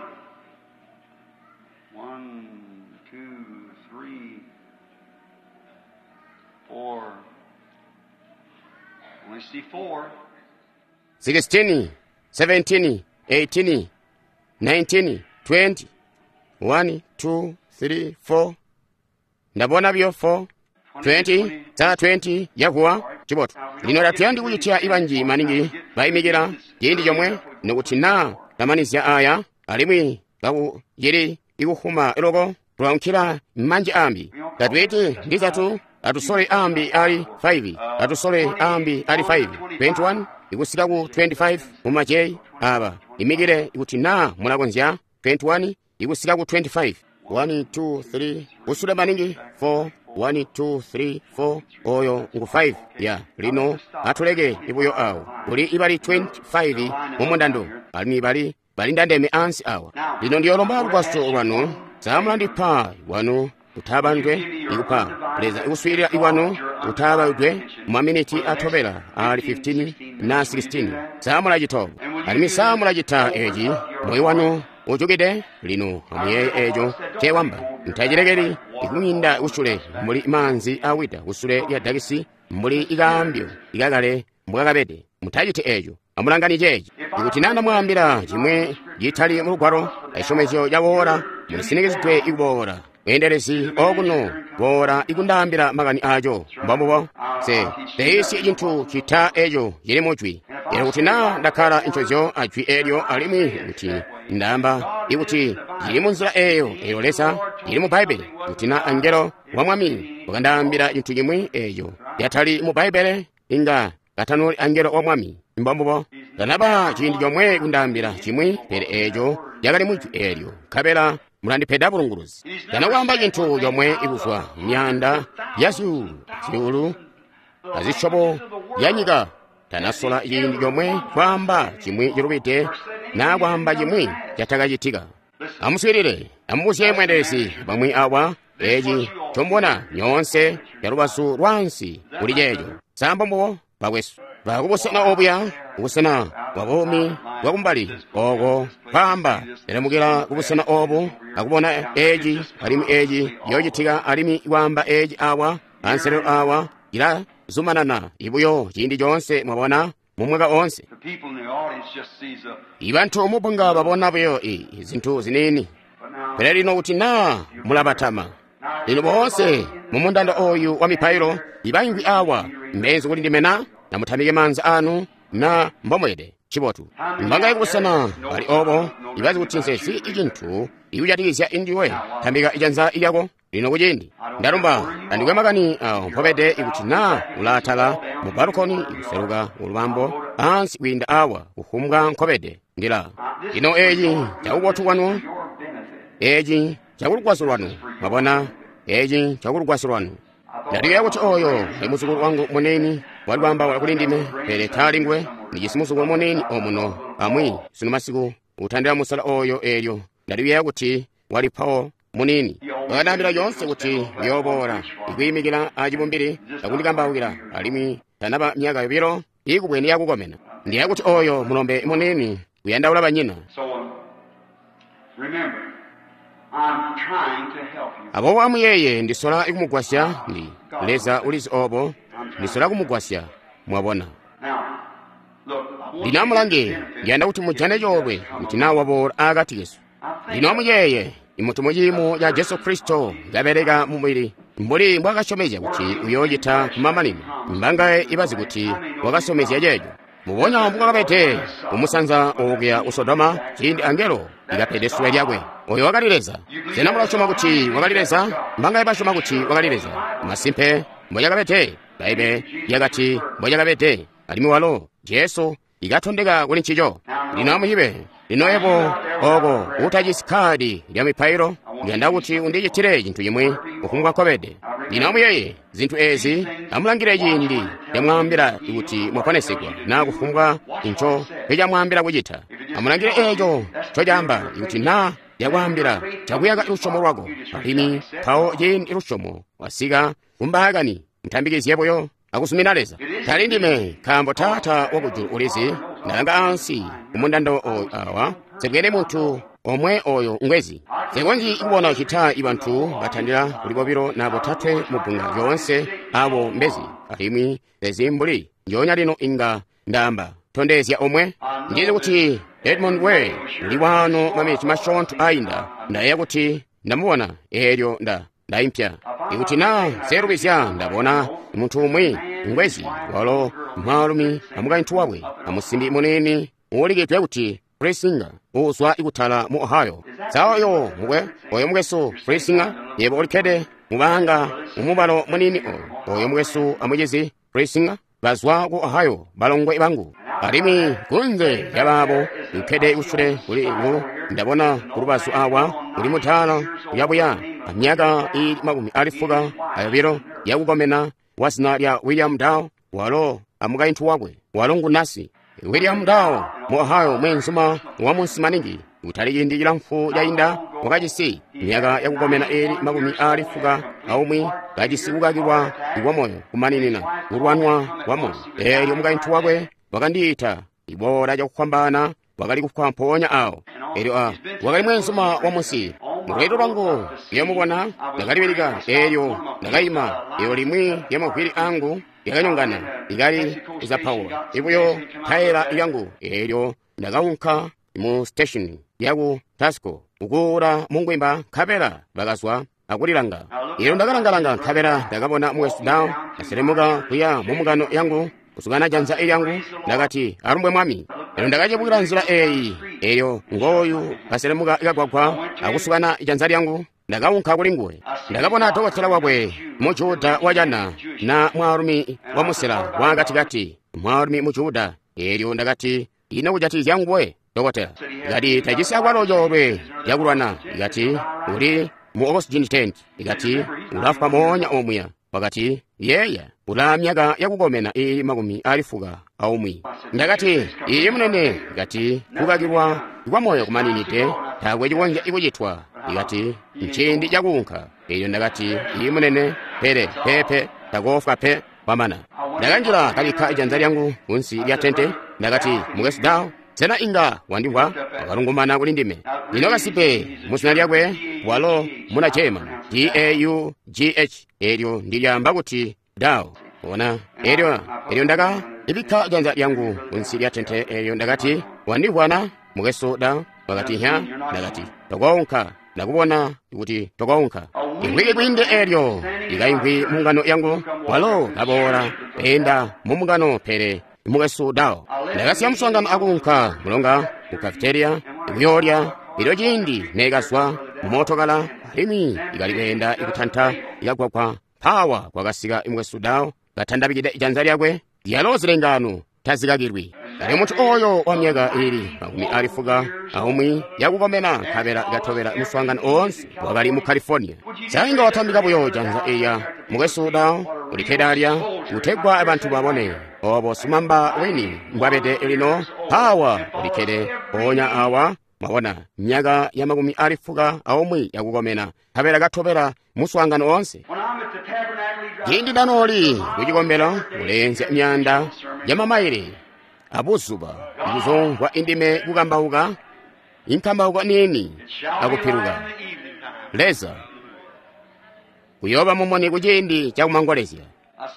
1, 2, 3, 4. Only see 4. 16, 17, 18, 19, 20. 1, 2, 3, 4. Ndabona biyo 4. 20, za 20 yakuwa cibotu. Lino tatuyandi kucitya ibanji maningi bayimikila ciindi comwe, nokuti naa tamanizya aya, alimwi kakucili ikuhuma loko tulaunkila manji ambi. Tatwiti ndizatu atusole ambi ali 5, atusole ambi ali 5, 21 ikusika ku 25 mumajeyi aba imikile ikuti naa mulakonzya 21 ikusika ku 25. 1, 2, 3 kusule maningi 4, 1, 2, 3, 4 oyo ngu 5 ya lino atuleke ibuyo awo kuli ibali 25 mumundando alimwi bali balindandeme ansi awa. Lino ndiyolomba lugwaso lwanu, samulandipa wanu kutaabandwe ikupa Leza ikuswiilila iwanu kutaabaudwe mumaminiti atobela ali 15 na 16. Samulacita alimwi samulacita eci moyo wanu ujukide. Lino amuyeeye eco cewamba, ntacilekeli ikumwinda kusule mbuli maanzi awida kusule lya dakisi mbuli ikaambyo ikakale mbwakabede. Mutaciti eco. Amulangani ceeci. Ikuti naa ndamwaambila cimwi citali mulugwalo, acisyomezyo caboola, mulisinikizidwe ikuboola. Mweendelezi okuno boola ikundaambila makani aco. Mbombubo. Se teisyi cintu cita eco cili mujwi. Elyo kuti naa ndakkala ncozyo ajwi eelyo, alimwi kuti ndaamba ikuti cili munzila eeyo, eyo Leza cili mu Bbaibbele, kuti naa angelo wa Mwami wakandaambila cintu cimwi eeco yatali mu Bbaibbele, inga katanoli angelo wa Mwami. Mbombubo. Tanaba ciindi comwe kundaambila cimwi, pele eeco cakali mujwi eelyo, nkabela mulandipeda bulunguluzi. Tana kwaamba cintu comwe ikuzwa myaanda ya zyuulu, zyuulu azisyobo ya nyika. Tanasola ciindi comwe kwaamba cimwi cilubide naa kwaamba cimwi catakacitika. Amuswiilile, amubuzye mweendelezi bamwi awa eci ncombona nyoonse calubazu lwaansi kuli ceeco. Sambombubo bakwesu bakubusena obuya, kubusena bwa buumi bwakumbali oko kwaamba lemukila kubusena obu akubona eci alimwi eci yoocitika alimwi kwaamba eci awa anselelo awa ilazumanana ibuyo ciindi coonse. Mwabona? mu mwaka oonse. Ibantu mubunga babona buyo zintu ziniini. Pele lino kuti naa mulabatama. Lino boonse mu mundando oyu wa mipailo ibaingwi awa mbenzi kuli ndime na namutamike maanza anu na mbomwede cibotu. Mbangaye kubusena bali obo ibazi kuti nsezi icintu ikujatikizya indiwe tambika ijanza lyako lino kuciindi. Ndalumba andikwe makani awo mpobede ikuti naa ulaatala mu balukoni ikuseluka ulubambo ansi kwiinda awa kufumbwa nkobede ndila. Lino eeci cakubotu kwanu, eeci cakulugwaso lwanu, mwabona, eeci cakulugwaso lwanu. Ndaliyeeya kuti oyo ali muzukulu wangu muniini wali kwaambaula kuli ndime, pele taali nguwe. Ndijisi muzukulu muniini omuno amwi sunu masiku utandila musala oyo eelyo. Ndaliyeeya kuti wali Paul muniini. Wakandaambila lyoonse kuti uyooboola ikwiimikila acibumbili akundikambaukila, alimwi tanaba myaka 2 ikubwene yakukomena. Ndiyeeya kuti oyo mulombe muniini uyandaula banyina. Aboobo amuyeeye, ndisola kumugwasya ndi Leza ulizi obo, ndisola kumugwasya, mwabona. Lino amulange, ndiyanda kuti mujane coolwe kuti naa waboola akati kesu. Lino amuyeeye, imuntu muciimo ca Jesu Kristo kabeleka mumubili mbuli mbwaakasyomezya kuti uyoocita kumamanino. Mbangaye ibazi kuti wakasyomezya ceeco. Mubonya mbukakabede kumusanza okuya ku Sodoma ciindi angelo ikapede suwe lyakwe. Oyo wakali Leza. Sena mulasyoma kuti wakali Leza? Mbangaye basyoma kuti wakali Leza? Masimpe mbocakabede. Baibe lyakati mbocakabede. Alimwi walo Jesu ikatondeka kuli ncico. Lino amuyibe. Lino yebo oko utajisi kkaadi lya mipailo, ndiyanda kuti undicitile cintu cimwi kufumbwa nkobede. Lino amuyeeye zintu ezi, amulangile ciindi lyamwaambila kuti mwaponesegwa naa kufumbwa nco ncamwaambila kucita. Amulangile eeco ncocaamba kuti naa lyakwaambila cakuyaka lusyomo lwako, alimwi mpawo ciindi lusyomo wasika kumbaakani, mutambikizye buyo akusumina Leza. Tali ndime, nkaambo Taata wakujulu ulizi, ndalanga ansi kumundando oyu awa, nsebwene muntu omwe oyo ngwezi. Nsekonzyi kubona cita ibantu batandila kuli 2 na 3 mu bbunga lyoonse abo mbezi, alimwi ezi mbuli njoonya lino inga ndaamba tondezya omwe. Ndizi kuti Edmund Way uli waano maminiti masyoonto ainda, ndayeeya kuti ndamubona eelyo ndaimpya. Ikuti naa nselubizya ndabona muntu umwi ngwezi, walo mwaalumi amukaintu wakwe amusimbi muniini uulikidwe kuti Frisinger uuzwa ikutala mu Ohio. Sa oyo mukwe, oyo mukwesu Frisinger, yebo ulikkede mubanga mumubalo muniini oyo. Oyo mukwesu amucizi Frisinger bazwa ku Ohio, balongwe bangu. Alimwi kunze lyabaabo ukkede kusule kuli ngu ndabona kulubazu awa kuli mutala uyabuya amyaka iili 92 yakukomena wa zina lya William Dow, walo amukaintu wakwe walo ngu nasi. William Dow mu Ohio mweenzuma wa munsi maningi, kutali ciindi cilamfu cainda wakajisi myaka yakukomena iili 91, kajisi kukakilwa kwa moyo kumaninina kulwanwa kwa moyo. Eelyo mukaintu wakwe wakandiita iboola cakufwambaana, wakali kufwa mpoonya awo. Eelyo wakali mweenzuma wa munsi. Mulweendo lwangu lyamubona ndakalibilika, eelyo ndakaima, eelyo limwi lyamavwili angu lyakanyongana likali kuzapaula ibuyo tayela lyangu. Eelyo ndakaunka mu station yaku Tasco kukuula mungwimba, nkabela bakazwa akulilanga. Eelyo ndakalangalanga, nkabela ndakabona mukwesu Dow aselemuka kuya mumukano yangu kusukana janza lyangu. Ndakati, alumbwe Mwami. Eelyo ndakacebukila nzila eeyi, eelyo ngooyu kaselemuka kagwagwa akusukana janza lyangu. Ndakaunka kuli nguwe. Ndakabona dokotela wakwe Mujuda wacana na mwaalumi wa musela wakatikati, mwaalumi Mujuda. Eelyo ndakati, ino kujatikizya nguwe dokotela? Ikati tajisi akwalo coolwe cakulwana. Ikati uli mu oxygen tent. Ikati ulafwa moonya omuya. Wakati, yeeya, ulaa myaka yakukomena iili 91. Ndakati, iiyi munene. Ikati kukakilwa kwa moyo kumaninide, taakwe cikonzya kucitwa. Ikati nciindi cakuunka. Eelyo ndakati, iiyi munene, pele pepe takoofwa pe kwamana. Ndakanjila kabikka ijanza lyangu kunsi lya tente. Ndakati, mukwesu Dow, sena inga wandimvwa? Wakalungumana kuli ndime. Lino kasipe muzina lyakwe walo muna German, D-A-U-G-H, eelyo ndilyaamba kuti Dow. Ona, eelyo ndaka ibikka janza lyangu kunsi lya tente eyo. Ndakati, wandivwana mukwesu da? Wakati, hya. Ndakati, tokounka. Ndakubona kuti tokounka. Imvwiki kwiinde elyo ikaimvwi mungano yangu, walo kaboola enda mumungano, pele mukwesu dao. Ndakasiya muswaangano akuunka mulonga ku cafeteria kuyoolya. Elyo ciindi neekazwa mumootokala alimwi ikali kweenda ikutanta ikagwagwa, mpawa kwakasika mukwesu dao katandabikide janza lyakwe. Lyalo zilengano tazikakilwi. Ali muntu oyo wa myaka ili 90 yakukomena, nkabela katobela muswaangano oonse wakali mu California. Sainga watambika buyo janza iya mukwesu dao ulikkede alya kutegwa abantu babone obo sumamba wini mbwabede lino. Pawa ulikkede ponya awa, mwabona, myaka ya 91 yakukomena, nkabela katobela muswaangano oonse. Ciindi nanooli kucikombelo uleenzya myanda ya mamaile abuzuba ikuzomvwa indime kukambauka inkambauka niini akupiluka. Leza kuyooba mumuni kuciindi cakumangolezya.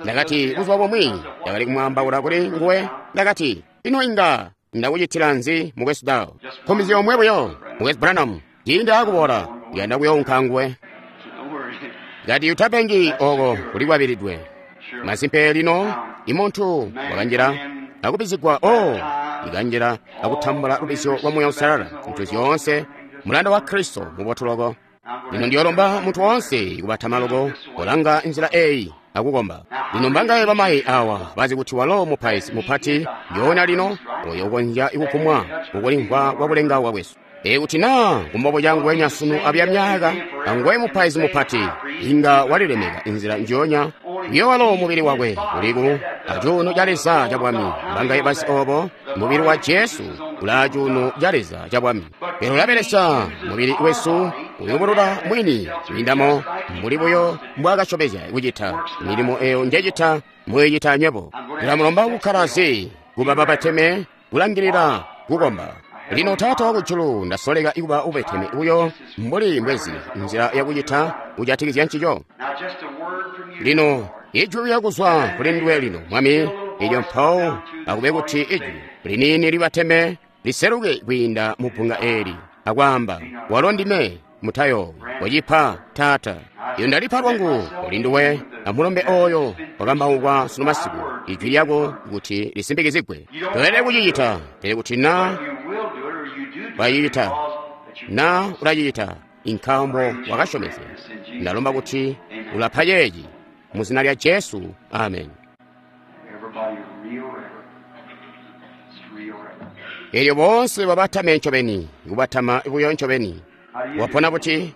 Ndakati buzuba bumwi ndakali kumwaambaula kuli nguwe. Ndakati, ino inga ndakucitila nzi mukwesu dao? Nkomizyo yomwe buyo, mukwesu Branham, ciindi akuboola ndiyanda kuyounka nguwe. Ngati utapengi oko kulikwabilidwe. Masimpe lino imuntu wakanjila akubizigwa o ikanjila akutambula lubizyo lwa Muuya Uusalala, zintu zyoonse mulanda wa Kristo mubotu loko. Lino ndiyolomba munthu wonse kubatama loko polanga nzila eyi akukomba. Lino mbangaye bamayi awa bazi kuti walo mupaizi mupati yoona lino oyo ukonzya ikukumwa kukulimvwa kwa kulengauka kwesu. Ekuti naa kumbobo cangu sunu abya myaka angwe mupaizi mupati inga walilemeka inzila njonya iyo walo mubili wakwe uliku acuuno ca Leza ca bwami. Mbangaye basi obo mubili wa Jesu ula cuuno ca Leza ca bwami, pele ulabelesya mubili wesu kuyubulula mwini kwiindamo mbuli buyo mbwaakasyomezya kucita. Milimo eyo njecita muyicita nywebo. Ndilamulomba kukkala zi kuba babateme kulangilila kukomba. Lino Taata wakujulu, ndasoleka ikuba ubeteme uyo mbuli mbwezi nzila yakucita kujatikizya ncico. Lino ijwi lyakuzwa kuli nduwe lino Mwami, ilyo mpawo akube kuti ijwi liniini libateme liseluke kwiinda mu bbunga eli akwaamba, walo ndime mutayoowi wacipa Taata. Iyo ndalipa lwangu kuli nduwe amulombe oyo wakambaukwa sunu masiku, ijwi lyako kuti lisimbikizigwe. Toyelede kucicita, pele kuti na wacicita, na ulacicita inkambo wakasyomezya. Ndalomba kuti ulapa ceeci mu zina lya Jesu, amen. Elyo boonse babatame ncobeni, kubatama buyo ncobeni. Wapona buti?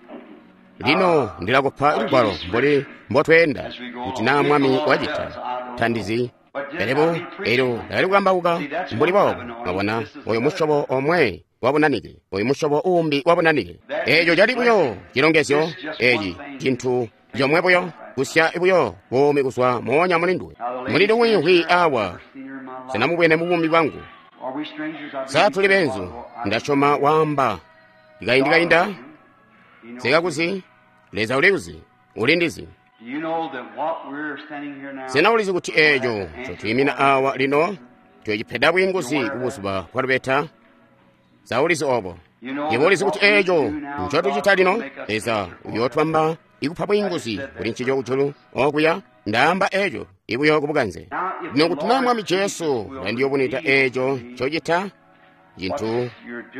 Lino ndilakupa lugwalo mbuli mbotweenda, kuti naa Mwami wacita tandizi. Pele elyo ndakali kukambauka mbuli boobo, mwabona, oyo musyobo omwe wabunanike, oyo musyobo uumbi wabunanike. Eeco cali buyo cilongezyo, eci cintu comwe buyo, kusya buyo buumi kuzwa moonya mulinduwe. Mulindi wiimvwi awa, sinamubwene mu buumi bwangu. Sa tuli benzu? Ndasyoma waamba kaindi kainda sikakuzi, Leza ulikuzi, ulindizi. Sena ulizi kuti eeco ncotwiimina awa lino tuyocipeda bwiinguzi kubuzuba bwa lubeta? Sa ulizi obo? Yebo ulizi kuti eeco ncotucita lino, Leza uyootwamba ikupa bwiinguzi kuli ncico kujulu okuya. Ndaamba eeco ibuyo kubukanze. Lino kuti naa Mwami Jesu ulandiyubunwida eeco ncocita, cintu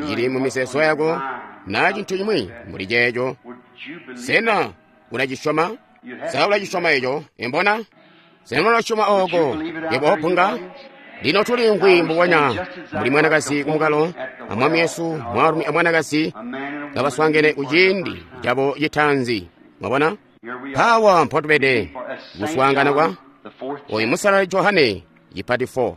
cili mu mizeezo yako naa cintu cimwi mbuli ceeco, sena ulacisyoma? Sa ulacisyoma eco? Embona? Sena ulasyoma ooko yebo opunga? Lino tuliimvwi mbubonya mbuli mwanakazi kumukalo amwami Yesu, mwaalumi amwanakazi kabaswaangene kuciindi cabo citaanzi. Mwabona? Mpaawa mpotubede kuswaangana kwa oyu musalali Johane cipati 4.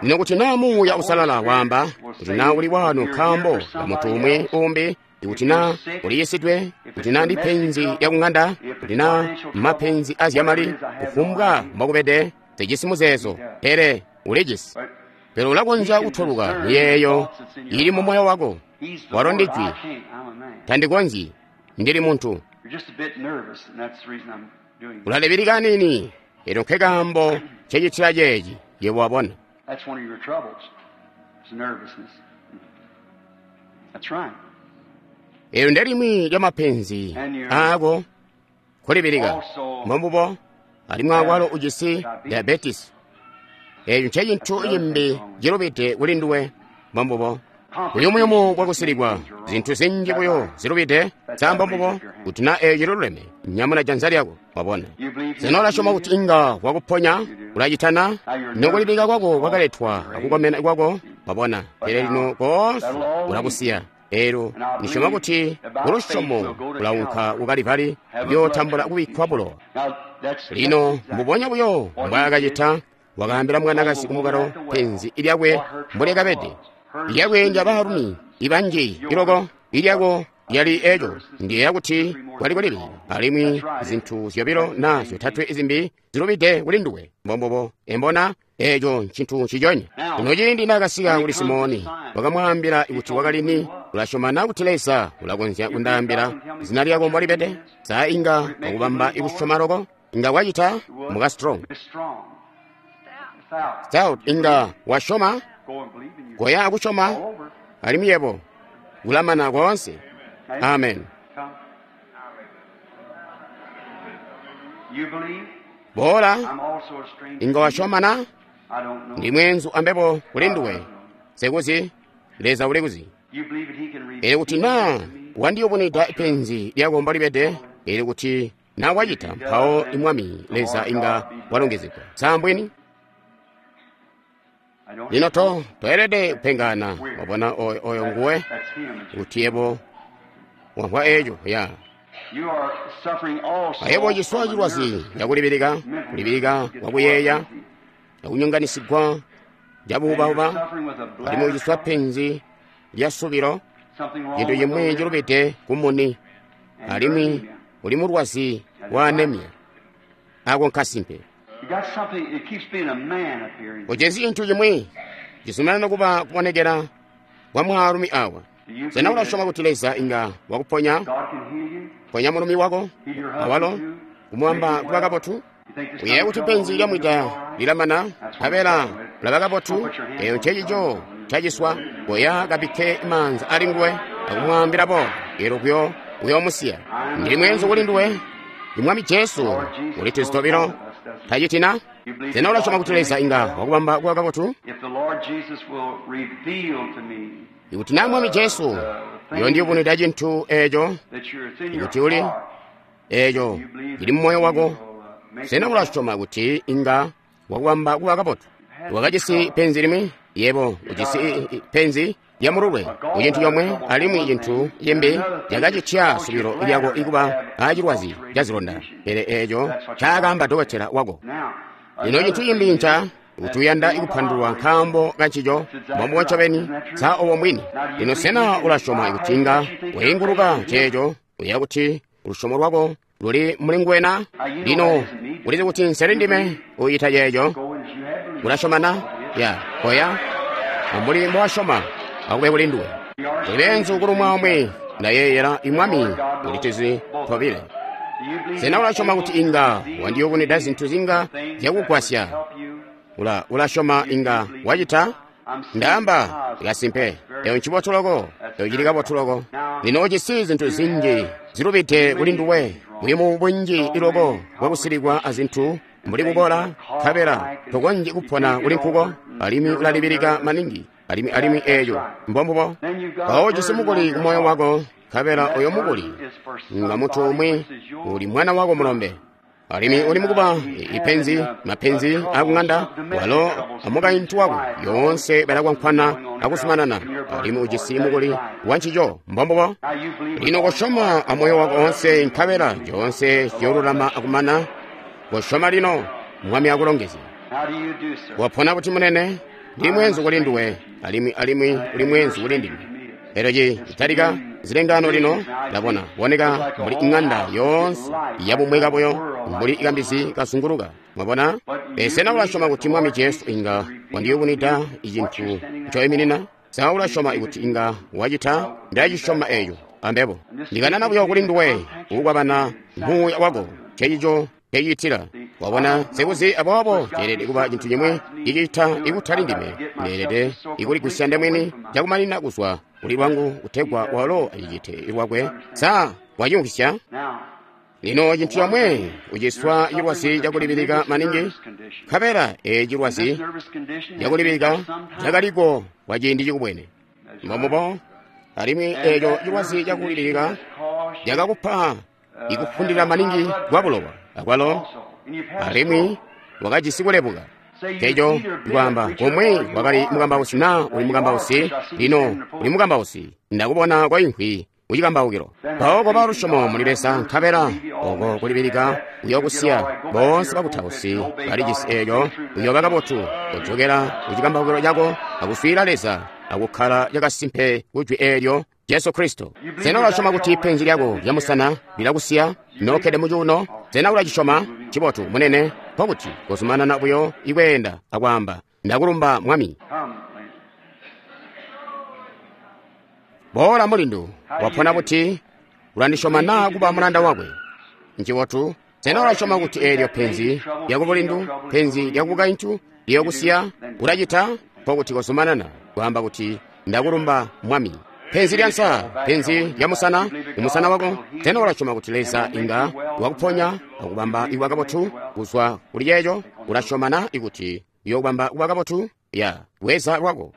Lino kuti naa Muuya Uusalala waamba kuti naa uli wanu nkaambo ka muntu umwi umbi, kuti naa uliyisidwe, kuti naa ndi penzi lya kung'anda, kuti naa mapenzi azyamali, kufumbwa mbokubede, sijisi muzeezo, pele ulijisi. Pele ulakonzya kutoluka miyeeyo ili mu moyo wako. Walo ndi jwi. Tandikonzyi, ndili muntu. Ulalibilika nini, elyo nke kaambo ncecitila ceeci, yebo wabona. That's one of your troubles. It's nervousness. That's right. Eyo ndelimwi lya mapenzi aako kulibilika mbombubo alimwi awalo ujisi diabetes. Eyo ncecintu cimbi cilubide kuli nduwe mbombubo. Buyumuyumu bwakusilikwa zintu zinji buyo zilubide sa mbombubo kuti na eyo ciluleme nyamuna janza lyako wabona. Sena ulasyoma kuti inga wakuponya ulacitana nokulibilika kwako kwakaletwa akukomena kwako wabona pele lino koonse ulakusiya. Elo nisyoma kuti kulusyomo ulaunka ku Kalivali kuyootambula kubikkwa bulowa. Lino mbubonya buyo mbwaakacita wakaambila mwanakazi kumukalo penzi lyakwe mbolyakabede. Lyakwe ndya baalumi ibanji iloko ilyako lyali eco ndiyeeya kuti kwali kulibilika alimwi zintu zyobilo na zyotatwe zimbi zilubide kuli nduwe mbombubo embona eco ncintu nciconya. Lino ciindi naakasika kuli Simoni wakamwaambila kuti wakali ni ulasyoma na kuti Leza ulakonzya kundaambila zina lyako mbolibede? Sa inga wakubamba ikusyoma loko? Inga wacita muka Strong. Stout inga wasyoma koya akusyoma alimwi yebo ulamana koonse. Amen. Boola inga wasyoma na? Ndi mweenzu ambebo kuli nduwe. Sekuzi Leza ulikuzi. Ele kuti na wandiyubunwida penzi lyako mbolibede, ele kuti na wacita mpawo imwami Leza inga walongezegwa. Sambweni? Lino toelede kupengana wabona oyo nguwe kuti yebo wamvwa eco ya. Ayebo ciswa cilwazi cakulibilika, kulibilika kwakuyeeya, akunyonganisigwa cabuubauba, alimwi uciswa penzi lya subilo, cintu cimwi cilubide kumuni, alimwi uli mulwazi wa anemia. Ako nkasimpe. Ujisi cintu cimwi cizumanana kuba kubonekera kwa mwaalumi awa. Sena ulasyoma kuti Leza inga wakuponya? Ponya mulumi wako awalo kumwamba kuba kabotu? Uyeeya kuti penzi lyamwida lilamana nkabela ulaba kabotu? Eyo ncecico caciswa. Koya kabikke maanza ali nguwe akumwaambila boobo, elo kuyo uyoomusiya. Ndili mweenzu kuli nduwe. Imwami Jesu ulituzi tobilo tacitina? Sena ulasyoma kuti Leza inga wakubamba kuba kabotu? Ikuti na Mwami Jesu uyondiyubunwida cintu eco, ikuti uli eco cili mumoyo wako, sena ulasyoma kuti inga wakubamba kuba kabotu? Wakajisi penzi limwi, yebo ujisi penzi lya mululwe kucintu comwe, alimwi cintu cimbi cakacitya subilo lyako ikuba acilwazi cazilonda, pele eco ncaakaamba dokotela wako. Lino cintu cimbi nca kuti uyanda ikupandulwa nkaambo kancico mbombubo ncobeni sa obo mbwini. Lino sena ulasyoma kuti inga wainguluka ceeco? Uyeeya kuti lusyomo lwako luli muli nguwe na? Lino ulizi kuti nseli ndime ucita ceeco. Ulasyoma na? Ya koya ambuli mbowasyoma akube kuli nduwe. Tuli beenzu kulumwa omwe ndayeeyela imwami ulituzi tobile. Sena ulasyoma kuti inga wandiyubunwida zintu zinga zyakugwasya? Ulasyoma inga wacita? Ndaamba kasimpe. Eyo ncibotu loko, eyo cili kabotu loko. Lino ujisi zintu zinji zilubide kuli nduwe, buyumu bunji iloko bwakusilikwa azintu mbuli kukola, nkabela tokonzyi kupona kuli nkuko, alimwi ulalibilika maningi, alimwi eeco mbombubo. Mpawo ujisi mukuli kumoyo wako, nkabela oyo mukuli nga muntu umwi uli mwana wako mulombe. Alimwi uli mukuba ipenzi, mapenzi akung'anda, walo amukaintu wako yoonse balakwankwana akusumanana, alimwi ujisi mukuli wancico mbombubo. Lino kosyoma amoyo wako onse, nkabela coonse ciyoolulama akumana. Kosyoma lino, Mwami akulongezye. Wapona kuti munene? Ndi mweenzu kuli nduwe, alimwi uli mweenzu kuli ndime. Elyo citalika zilengano lino ndabona boneka mbuli ing'anda yoonse yabumweka buyo mbuli ikambizi kazunguluka. Mwabona? Sena ulasyoma kuti Mwami Jesu inga wandiyubunwida icintu ncoiminina? Sa ulasyoma kuti inga wacita? Ndacisyoma eco ambebo. Ndikanana buyo kuli nduwe kukwabana muuya wako. Ncecico ncecitila. Wabona, nsekuzi, aboobo ceelede kuba cintu cimwi cicita ikutali ndime. Ndeelede ikuligusya ndemwini cakumanina kuzwa kuli lwangu kutegwa walo acicite lwakwe. Sa wacimvwisya? Lino cintu comwe, uciswa cilwazi cakulibilika maningi, nkabela eeci cilwazi cakulibilika cakaliko kwa ciindi cikubwene. Mbombubo, alimwi eeco cilwazi cakulibilika cakakupa ikufundila maningi kwa bulowa akwalo, alimwi wakajisi kulebuka. Eco kwaamba komwe wakali mukambausi naa uli mukambausi, lino uli mukambausi, ndakubona kwaimvwi kucikambaukilo. Mpawo koba lusyomo muli Leza, nkabela oko kulibilika kuyokusiya. Boonse bakutausi balijisi eeco, uyooba kabotu kujokela kucikambaukilo cako akuswiila Leza akukkala cakasimpe kujwi eelyo Jesu Kristo. Sena ulasyoma kuti penzi lyako lyamusana lilakusiya nokkede mucuuno? Sena ulacisyoma? Ncibotu, munene, nkokuti kozumanana buyo ikweenda akwaamba, ndakulumba Mwami. Boola mulindu, wapona buti? Ulandisyoma naa kuba mulanda wakwe? Ncibotu. Sena ulasyoma kuti eelyo penzi lyakubulindu, penzi lyakubukaintu liyokusiya? Ulacita? Nkokuti kozumanana kwaamba kuti, ndakulumba Mwami. Penzi lya nsa, penzi lya musana, umusana wako. Sena ulasyoma kuti Leza inga wakuponya akubamba ikuba kabotu kuzwa kuli ceeco? Ulasyoma na ikuti uyokubamba kuba kabotu? Ya, bweza lwako.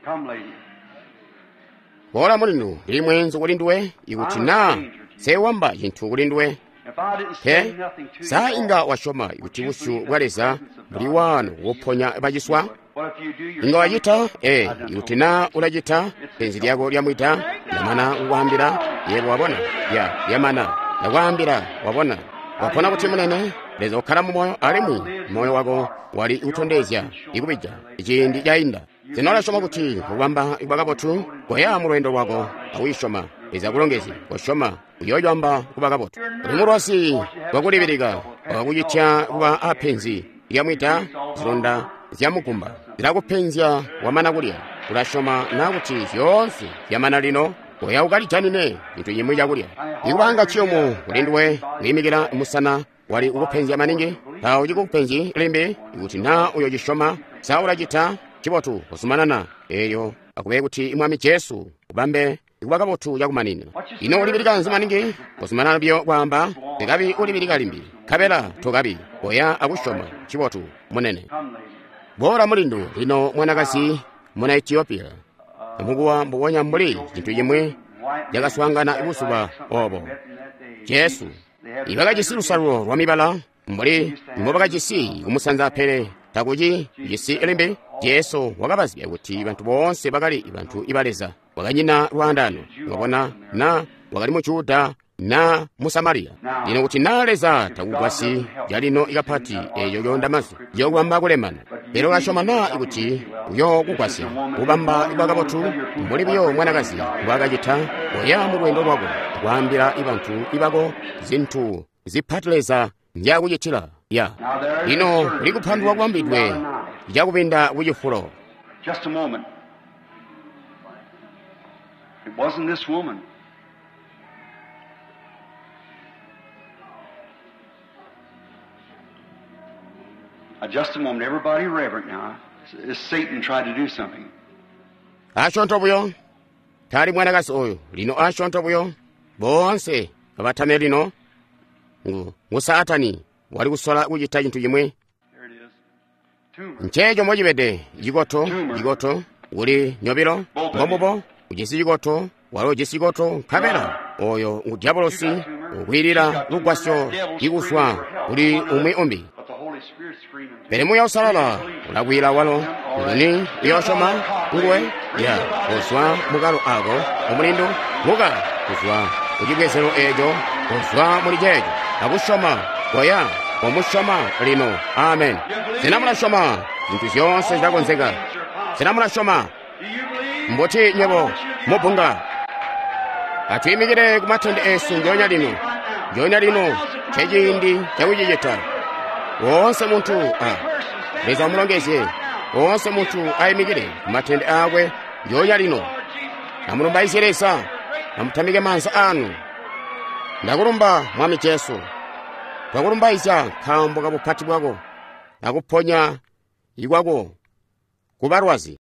Boola mulindu, ndili mweenzu kuli nduwe, ikuti naa nsewamba cintu kuli nduwe. Pe, sa inga wasyoma kuti busyu bwa Leza buli waano kuponya baciswa? Inga wacita? Ee, ikuti naa ulacita, penzi lyako lyamwida, ndamana kukwaambila, yebo wabona, ya, lyamana, ndakwaambila, wabona. Wapona kuti munene, Leza ukkala mu moyo alimwi moyo wako wali kutondezya ikubija ciindi cainda. Sena ulasyoma kuti kubamba kuba kabotu? Koya mu lweendo lwako akuyisyoma. Leza kulongezye, kosyoma, uyoyamba kuba kabotu. Uli mulwazi wakulibilika, wakakucitya kuba apenzi lyamwida, zilonda zyamugumba zilakupenzya wamana kulya. Ulasyoma na kuti zyoonse zyamana lino? Koya ukalijanine cintu cimwi cakulya. Ikubanga ciyumu kuli nduwe kwiimikila musana wali kukupenzya maningi, taucikupenzyi limbi. Ikuti naa uyocisyoma, sa ulacita? Ncibotu, kuzumanana eeyo akube kuti Mwami Jesu ubambe ikuba kabotu cakumanina. Ino ulibilika nzi maningi? Kuzumanana buyo kwaamba, tekabi ulibilika limbi, nkabela tokabi. Koya akusyoma. Ncibotu, munene. Boola mulindu, lino mwanakazi muna Ethiopia, amukuwa mbubonya mbuli cintu cimwi cakaswaangana buzuba obo. Jesu ibakajisi lusalulo lwa mibala mbuli mbobakajisi kumusanza, pele takuci jisi limbi. Jesu wakabazibya kuti bantu boonse bakali bantu iba Leza, wakanyina lwaandano, wabona na wakali mu Juda na mu Samariya. Lino kuti naa Leza takugwasyi calino ikapati eeyo yoondamazu yokubamba kulemana, pele ulasyoma naa kuti uyookugwasya kubamba kuba kabotu mbuli buyo mwanakazi mbwaakacita. Koya mu lweendo lwako kwaambila bantu ibako zintu zipati Leza nzyakucitila. Ya, lino kuli kupandulwa kubambidwe cakubinda kucifulo. Just a moment. It wasn't this woman. Now, just a moment. Everybody reverent now. As Satan tried to do something. Asyoonto buyo, tali mwanakazi oyu. Lino asyoonto buyo, boonse abatame lino. Ngu Saatani wali kusola kucita cintu cimwi. There it is. Tumor. Nceeco mocibede cikoto, cikoto kuli nyobilo, mbombubo, ujisi cikoto, walo ujisi cikoto, nkabela oyo ngu diabolosi ukwiilila lugwasyo ikuzwa kuli umwi umbi. But the Holy Spirit's screaming. Pele Muuya Uusalala ulakwiila walo, nguni uyoosyoma nguwe? Ya, kuzwa mukalo ako omulindu, muka kuzwa kucibwezelo eeco, kuzwa muli ceeco, akusyoma, koya, komusyoma lino. Amen. Sena mulasyoma? Zintu zyoonse zilakonzeka. Sena mulasyoma? Do you believe? Mbuti nywebo mubunga? Atwiimikile ku matende esu njoonya lino. Njoonya lino nceciindi cakucicita. Woonse muntu a Leza amulongezye. Woonse muntu ayimikile ku matende akwe njoonya lino. Amulumbaizye Leza, amutamike maanza anu. Ndakulumba Mwami Jesu. Twa kulumbaizya nkaambo ka bupati bwako, akuponya kwako ku balwazi.